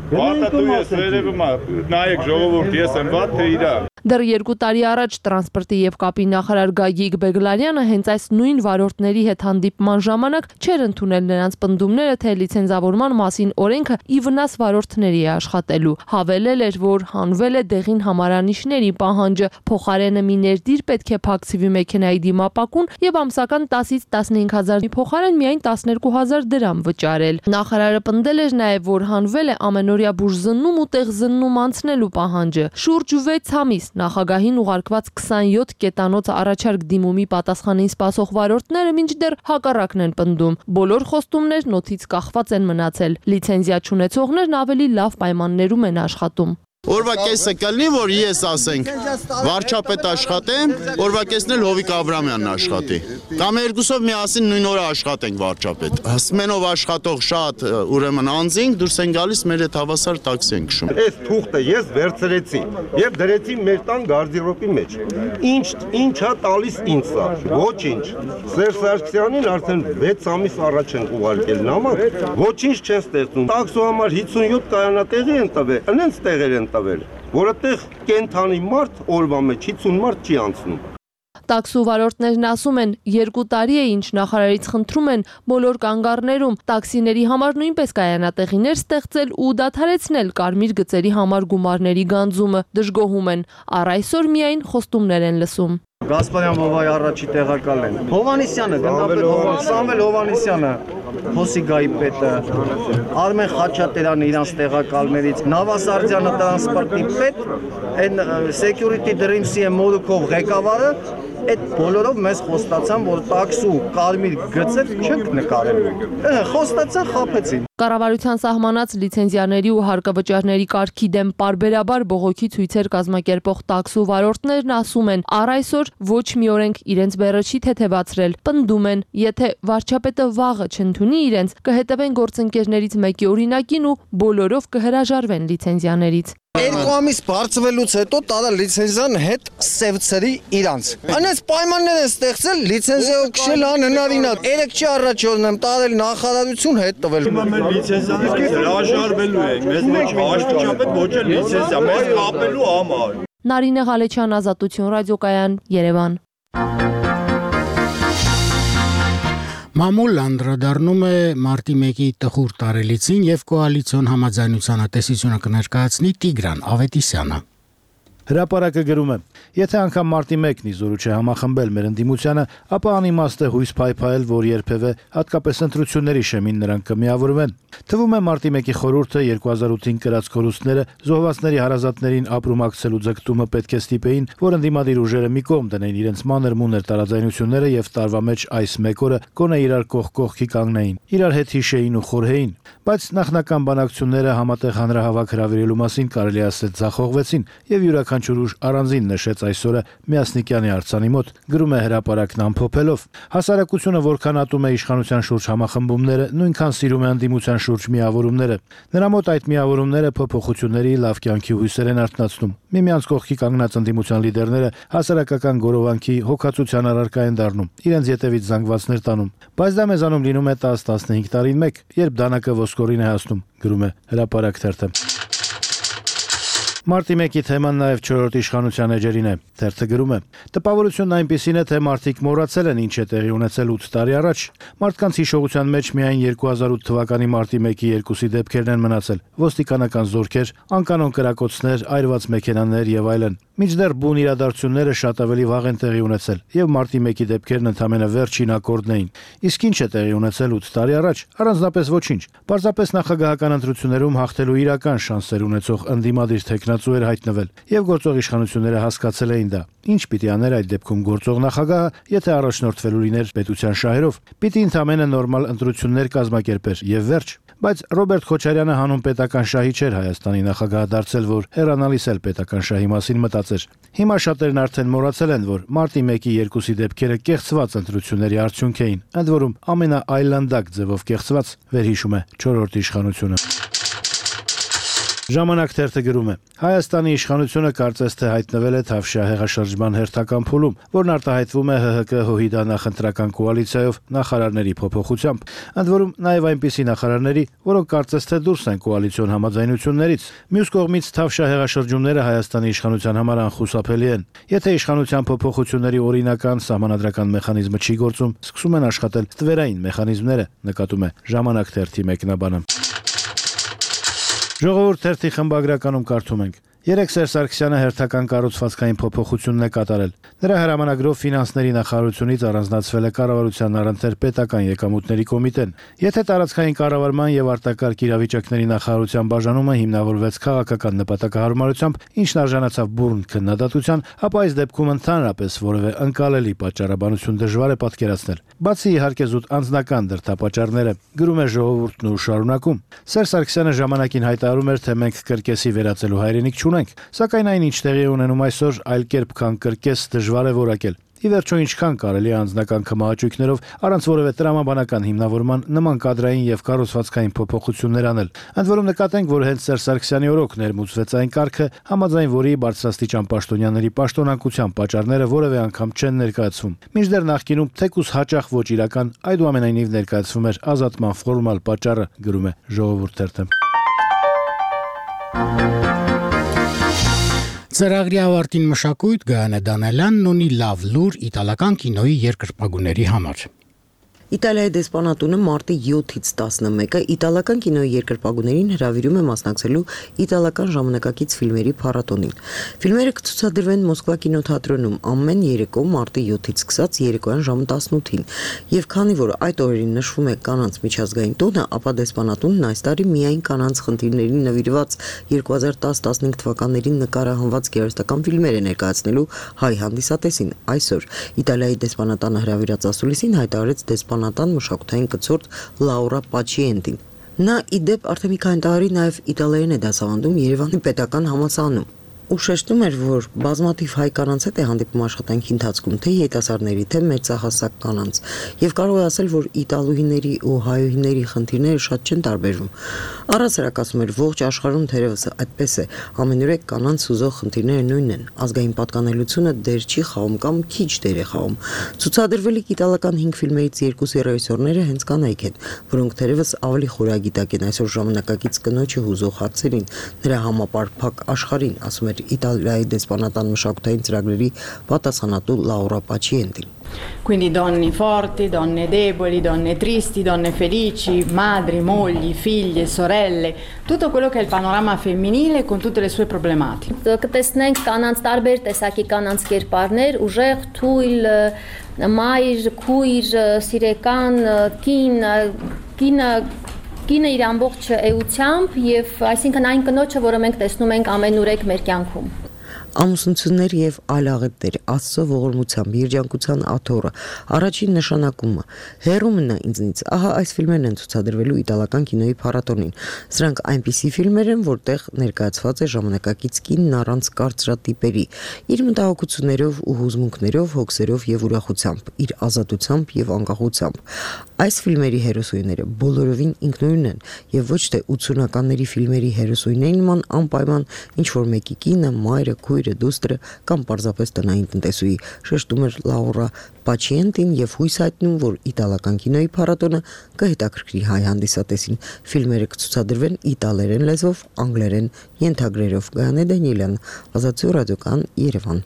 Վատը դու ես վերևում ա, նայեք ժողովուրդ, ես եմ վատ, թե իրա։ Դեռ երկու տարի առաջ տրանսպորտի եւ կապի նախարար Գագիկ Բեգլարյանը հենց այս նույն վարորդների հետ հանդիպման ժամանակ չէր ընդունել նրանց պնդումները, թե լիցենզավորման մասին օրենքը ի վնաս վարորդների է աշխատելու։ Հավելել էր, որ հանվել է դեղին համարանիշների պահանջը, փոխարենը մի ներդիր պետք է փակցվի մեքենայի դիմապակուն եւ ամսական տասից տասնհինգ հազարի փոխարեն միայն տասներկու հազար դրամ վճարել։ Նախարարը պնդել էր նաեւ, որ հանվել է ամենօրյա բուժզննում ու տեղզննում անցնելու պահանջը։ Շուրջ վեց ամիս նախագահին ուղարկված քսանյոթ կետանոց առաջարկ դիմումի պատասխանին սպասող վարորդները մինչդեռ հակառակն են պնդում։ Բոլոր խոստումներն օդից կախված են մնացել։ Լիցենզիա չունեցողներն ավելի լավ պայմաններում են աշխատում։ Օրվա կեսը կլինի, որ ես ասենք վարչապետ աշխատեմ, օրվա կեսն էլ Հովիկ Աբրամյանն աշխատի։ Կամ երկուսով միասին նույն օրը աշխատենք վարչապետ։ Սմենով աշխատող շատ ուրեմն անձինք դուրս են գալիս, մեր հետ հավասար տաքսի են քշում։ Այս թուղթը ես վերցրեցի եւ դրեցի մեր տան գարդիրոպի մեջ։ Ինչ ինչա տալիս ինձ սա։ Ոչինչ։ Սերժ Սարգսյանին արդեն վեց ամիս առաջ են ուղարկել նամակ, ոչինչ չեն ստեղծում։ Տաքսու համար հիսունյոթ կայանատեղի են տվել, այնց տեղեր են որտեղ կենթանի մարդ օրվա մեջ հիսուն մարդ չի անցնում։ Տաքսու վարորդներն ասում են, երկու տարի է ինչ նախարարից խնդրում են բոլոր կանգառներում տաքսիների համար նույնպես կայանատեղիներ ստեղծել ու դադարեցնել կարմիր գծերի համար գումարների գանձումը, դժգոհում են, առ այսօր միայն խոստումներ են լսում։ Գասպարյան բովայի առաջի տեղակալ են։ Հովանիսյանը, գնդապետ Սամվել Հովանիսյանը, Հոսիգայի պետը, Արմեն Խաչատերյանը իրանց տեղակալներից, Նավասարդյանը տրանսպորտի պետ, այն Security Dreams-ի Մոլուքով ղեկավարը, այդ բոլորով մեզ խոստացան, որ տաքսու կարմիր գծեր չենք նկարելու։ Խոստացան, խաբեցին։ Կառավարության սահմանած լիցենզիաների ու հարկավճարների կարգի դեմ պարբերաբար բողոքի ցույցեր կազմակերպող տաքսու վարորդներն ասում են, առ այսօր ոչ մի օրենք իրենց բեռը չի թեթևացրել, պնդում են, եթե վարչապետը վաղը չընդունի իրենց, կհետևեն գործընկերներից մեկի օրինակին ու բոլորով կհրաժարվեն լիցենզիաներից։ Երկու ամիս բարձվելուց հետո տարա լիցենզիան հետ սևցրի իրանց։ Այնպես պայմաններ են ստեղծել լիցենզիայով քշել անհնարին է։ Երեք չի առաջորդն եմ տարել նախարարություն հետ տվել։ Մենք լիցենզիան հրաժարվելու ենք, մեզ ոչ վարչապետ ոչ էլ լիցենզիա, մեզ կապելու համար։ Նարինե Ղալեչյան, Ազատություն ռադիոկայան, Երևան։ Մամուլ անդրադառնում է մարտի մեկի տխուր տարելիցին եւ կոալիցիոն համաձայնության տեսությունը կներկայացնի Տիգրան Ավետիսյանը։ Հրապարակը գրում է. Եթե անգամ մարտի մեկն իզորու չէ համախմբել մեր ընդդիմությանը, ապա անիմաստ է հույս փայփայել, որ երբևէ հատկապես ընտրությունների շեմին նրանք կմիավորվեն։ Թվում է մարտի մեկի խորհուրդը երկու հազար ութին կրած կորուստները զոհվածների հարազատներին ապրումակցելու ձգտումը պետք է ստիպեին, որ ընդդիմադիր ուժերը մի կողմ դնեին իրենց մանր-մունր տարաձայնությունները եւ տարվա մեջ այս մեկ օրը գոնե իրար կողք կողքի կանգնեին, իրար հետ հիշեին ու խորհեին, բայց նախնական բանակցությունները համատեղ հանրահավաք հրավիրելու մասին կարելի ասել ձախողվեցին եւ յուրաքանչյուր ուժ առանձին նշեց այսօրը Միասնիկյանի արձանի մոտ, գրում է հրապարակն ամփոփելով։ Հասարակությունը որքան ատում է իշխանության շուրջ համախմբումները, նույնքան սիրում է ընդդիմության շուրջ միավորումները։ Նրա մոտ այդ միավորումները փոփոխությունների լավ կյանքի հույսեր են արթնացնում։ Միմյանց կողքի կանգնած ընդդիմության լիդերները հասարակական գորովանքի հոգացության առարկա են դառնում, իրենց ետևից զանգվածներ տանում։ Բայց դա մեզանում լինում է տաս տասնհինգ տարին մեկ, երբ դանակը ոսկորին է հասնում, գրում է հրապարակ թերթը։ Մարտի մեկի թեման նաև չորրորդ իշխանության էջերին է։ Թերթը գրում է. Տպավորությունն այնպիսին է, թե մարդիկ մոռացել են ինչ է տեղի ունեցել ութ տարի առաջ։ Մարդկանց հիշողության մեջ միայն երկու հազար ութ թվականի մարտի մեկի երկուսի դեպքերն են մնացել՝ ոստիկանական զորքեր, անկանոն կրակոցներ, այրված մեքենաներ եւ այլն։ Մինչդեռ բուն իրադարձությունները շատ ավելի վաղ են տեղի ունեցել, եւ մարտի մեկի դեպքերն ընդամենը վերջին ակորդն էին։ Իսկ ինչ է տեղի ունեցել ութ տարի առաջ։ Առանձնապես ոչինչ։ Պարզապես նախագահական ընտրություններում հաղթելու իրական շանսեր ունեցող ընդդիմադիր տեխնացու էր հայտնվել, եւ գործող իշխանությունները հասկացել էին դա։ Ինչ պիտի աներ այդ դեպքում գործող նախագահը, եթե առաջնորդվելու լիներ պետության շահերով։ Պիտի ընդամենը նորմալ ընտրություններ կազմակերպեր եւ վերջ։ Բայց Ռոբերտ Քոչարյանը հանուն պետական շահի չէր Հայաստանի նախագահը դարձել, որ հեռանալիս էլ պետական շահի մասին մտածեր։ Հիմա շատերն արդեն մոռացել են, որ մարտի մեկի երկուսի դեպքերը կեղծված ընտրությունների արդյունք էին, ընդ որում ամենաայլանդակ ձևով կեղծված, վերհիշում է չորրորդ իշխանությունը։ Ժամանակ թերթը գրում է. Հայաստանի իշխանությունը կարծես թե հայտնվել է Թավշյա հեղաշրջման հերթական փուլում, որն արտահայտվում է ՀՀԿ-ՀՅԴ նախընտրական կոալիցիայով նախարարների փոփոխությամբ, ընդ որում նաև այնպիսի նախարարների, որոնք կարծես թե դուրս են կոալիցիոն համաձայնություններից։ Մյուս կողմից Թավշյա հեղաշրջումները Հայաստանի իշխանության համար անխուսափելի են։ Եթե իշխանության փոփոխությունների օրինական սահմանադրական մեխանիզմը չի գործում, սկսում են աշխատել ստվերային մեխանիզմները, նկատում է Ժամանակ թերթի մեկնաբանը։ Ժողովուրդ թերթի խմբագրականում կարդում ենք. Երեք Սերժ Սարգսյանը հերթական կառուցվածքային փոփոխությունն է կատարել։ Նրա հրամանագրով ֆինանսների նախարարությունից առանձնացվել է կառավարության առընթեր պետական եկամուտների կոմիտեն։ Եթե տարածքային կառավարման եւ արտակարգ իրավիճակների նախարարության բաժանումը հիմնավորվեց քաղաքական նպատակահարմարությամբ, ինչն արժանացավ բուրըն քննադատության, ապա այս դեպքում ընդհանրապես որևէ ընկալելի պատճառաբանություն դժվար է պատկերացնել։ Բացի իհարկե զուտ անձնական դրդապատճառները, գրում է Ժողովուրդն ու շարունակում։ Սերժ Սարգսյանը ժամանակին հայտարարում էր, թե մենք կրկեսի վերածելու հայրենիք չունենք, սակայն այն ինչ տեղի է ունենում այսօր, այլ կերպ քան կրկես դժվար է որակել։ Ի վերջո ինչքան կարելի է անձնական կմահաճույքներով առանց որևէ տրամաբանական հիմնավորման նման կադրային եւ կառուցվածքային փոփոխություններ անել։ Ընդ որում նկատենք, որ հենց Սերժ Սարգսյանի օրոք ներմուծվեց այն կարգը, համաձայն որի բարձրաստիճան պաշտոնյաների պաշտոնակության պատճառները որևէ անգամ չեն ներկայացվում։ Մինչդեռ նախկինում թեկուզ հաճախ ոչ իրական, այդուամենայնիվ ներկայացվում էր ազատման ֆորմալ պատճառը, գրում է Ժողովուրդ թերթը։ Ծրագրի ավարտին մշակույթ Գայանե Դանելյանն ունի լավ լուր իտալական կինոյի երկրպագուների համար։ Իտալիայի դեսպանատունը մարտի յոթից տասնմեկը իտալական կինոյի երկրպագուներին հրավիրում է մասնակցելու իտալական ժամանակակից ֆիլմերի փառատոնին։ Ֆիլմերը կցուցադրվեն Մոսկվա կինոթատրոնում ամեն երեկո մարտի յոթից սկսած երեկոյան ժամը տասնութին։ Եվ քանի որ այդ օրերին նշվում է կանանց միջազգային տոնը, ապա դեսպանատունն այս տարի միայն կանանց խնդիրներին նվիրված երկու հազար տաս տասնհինգ թվականներին նկարահանված գեղարվեստական ֆիլմեր է ներկայացնելու հայ հանդիսատեսին։ Այսօր Իտալիայի դեսպանատանը հրավիրած ասուլիսին հայտարարեց դեսպանատան մշակութային կցորդ Լաուրա Պաչիենտին։ Նա ի դեպ արդեն մի քանի տարի նաև իտալերեն է դասավանդում Երևանի պետական համալսարանում։ Ու շեշտում էր, որ բազմաթիվ հայ կանանց հետ է հանդիպում աշխատանքի ընթացքում, թե երիտասարդների, թե մեծահասակ կանանց, եւ կարող է ասել, որ իտալուհիների ու հայուհիների խնդիրները շատ չեն տարբերվում։ Առասարակ ասում էր, ողջ աշխարհում թերևս այդպես է, ամենուրեք կանանց ուզող խնդիրները նույնն են, ազգային պատկանելությունը դեր չի խաղում կամ քիչ դեր է խաղում։ Ցուցադրվելիք իտալական հինգ ֆիլմերից երկուսի ռեժիսորները հենց կանայք են, որոնք թերևս ավելի խորագիտակ են այսօր ժամանակակից կնոջը հուզող հարցերին, նրա համապարփակ աշխարհին, ասում էր էր Իտալիայի դեսպանատան մշակութային ծրագրերի պատասխանատու Laura Pacientin. Quindi donne forti, donne deboli, donne tristi, donne felici, madri, mogli, figlie, sorelle, tutto quello che è il panorama femminile con tutte le sue problematiche. Կտեսնենք կանանց տարբեր տեսակի կանանց կերպարներ, ուժեղ, թույլ, մայր, քույր, սիրեկան, կին, կինը կինը իր ամբողջ էությամբ եւ այսինքն այն կնոջը, որը մենք տեսնում ենք ամենուրեք մեր կյանքում։ Ամուսնություններ եւ այլ աղետներ, Աստծո ողորմությամբ, երջանկության աթոռը, առաջին նշանակումը, հերու մնա ինձնից։ Ահա այս ֆիլմերն են ցուցադրվելու իտալական կինոյի փառատոնին։ Սրանք այնպիսի ֆիլմեր են, որտեղ ներկայացված է ժամանակակից կինն առանց կարծրատիպերի, իր մտահոգություններով ու հուզմունքներով, հոգսերով եւ ուրախությամբ, իր ազատությամբ եւ անկախությամբ։ Այս ֆիլմերի հերոսուհիները բոլորովին ինքնուրույն են եւ ոչ թե ութսունականների ֆիլմերի հերոսուհիների նման անպայման ինչ որ մեկի կինը, մայրը, քույրը, դուստրը կամ պարզապես տնային տնտեսուհի, շեշտում էր Laura Pacientin եւ հույս հայտնում, որ իտալական կինոյի փառատոնը կհետաքրքրի հայ հանդիսատեսին։ Ֆիլմերը կցուցադրվեն իտալերեն լեզվով, անգլերեն ենթագրերով։ Գայանե Դանիելյան, Ազատություն ռադիոկան, Երևան։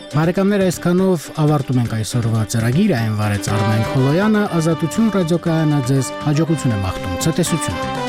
Բարեկամներ, այսքանով ավարտում ենք այսօրվա ծրագիրը, այն վարեց Արմեն Խոլոյանը, Ազատություն ռադիոկայանը ձեզ հաջողություն եմ աղթում, ցտեսություն։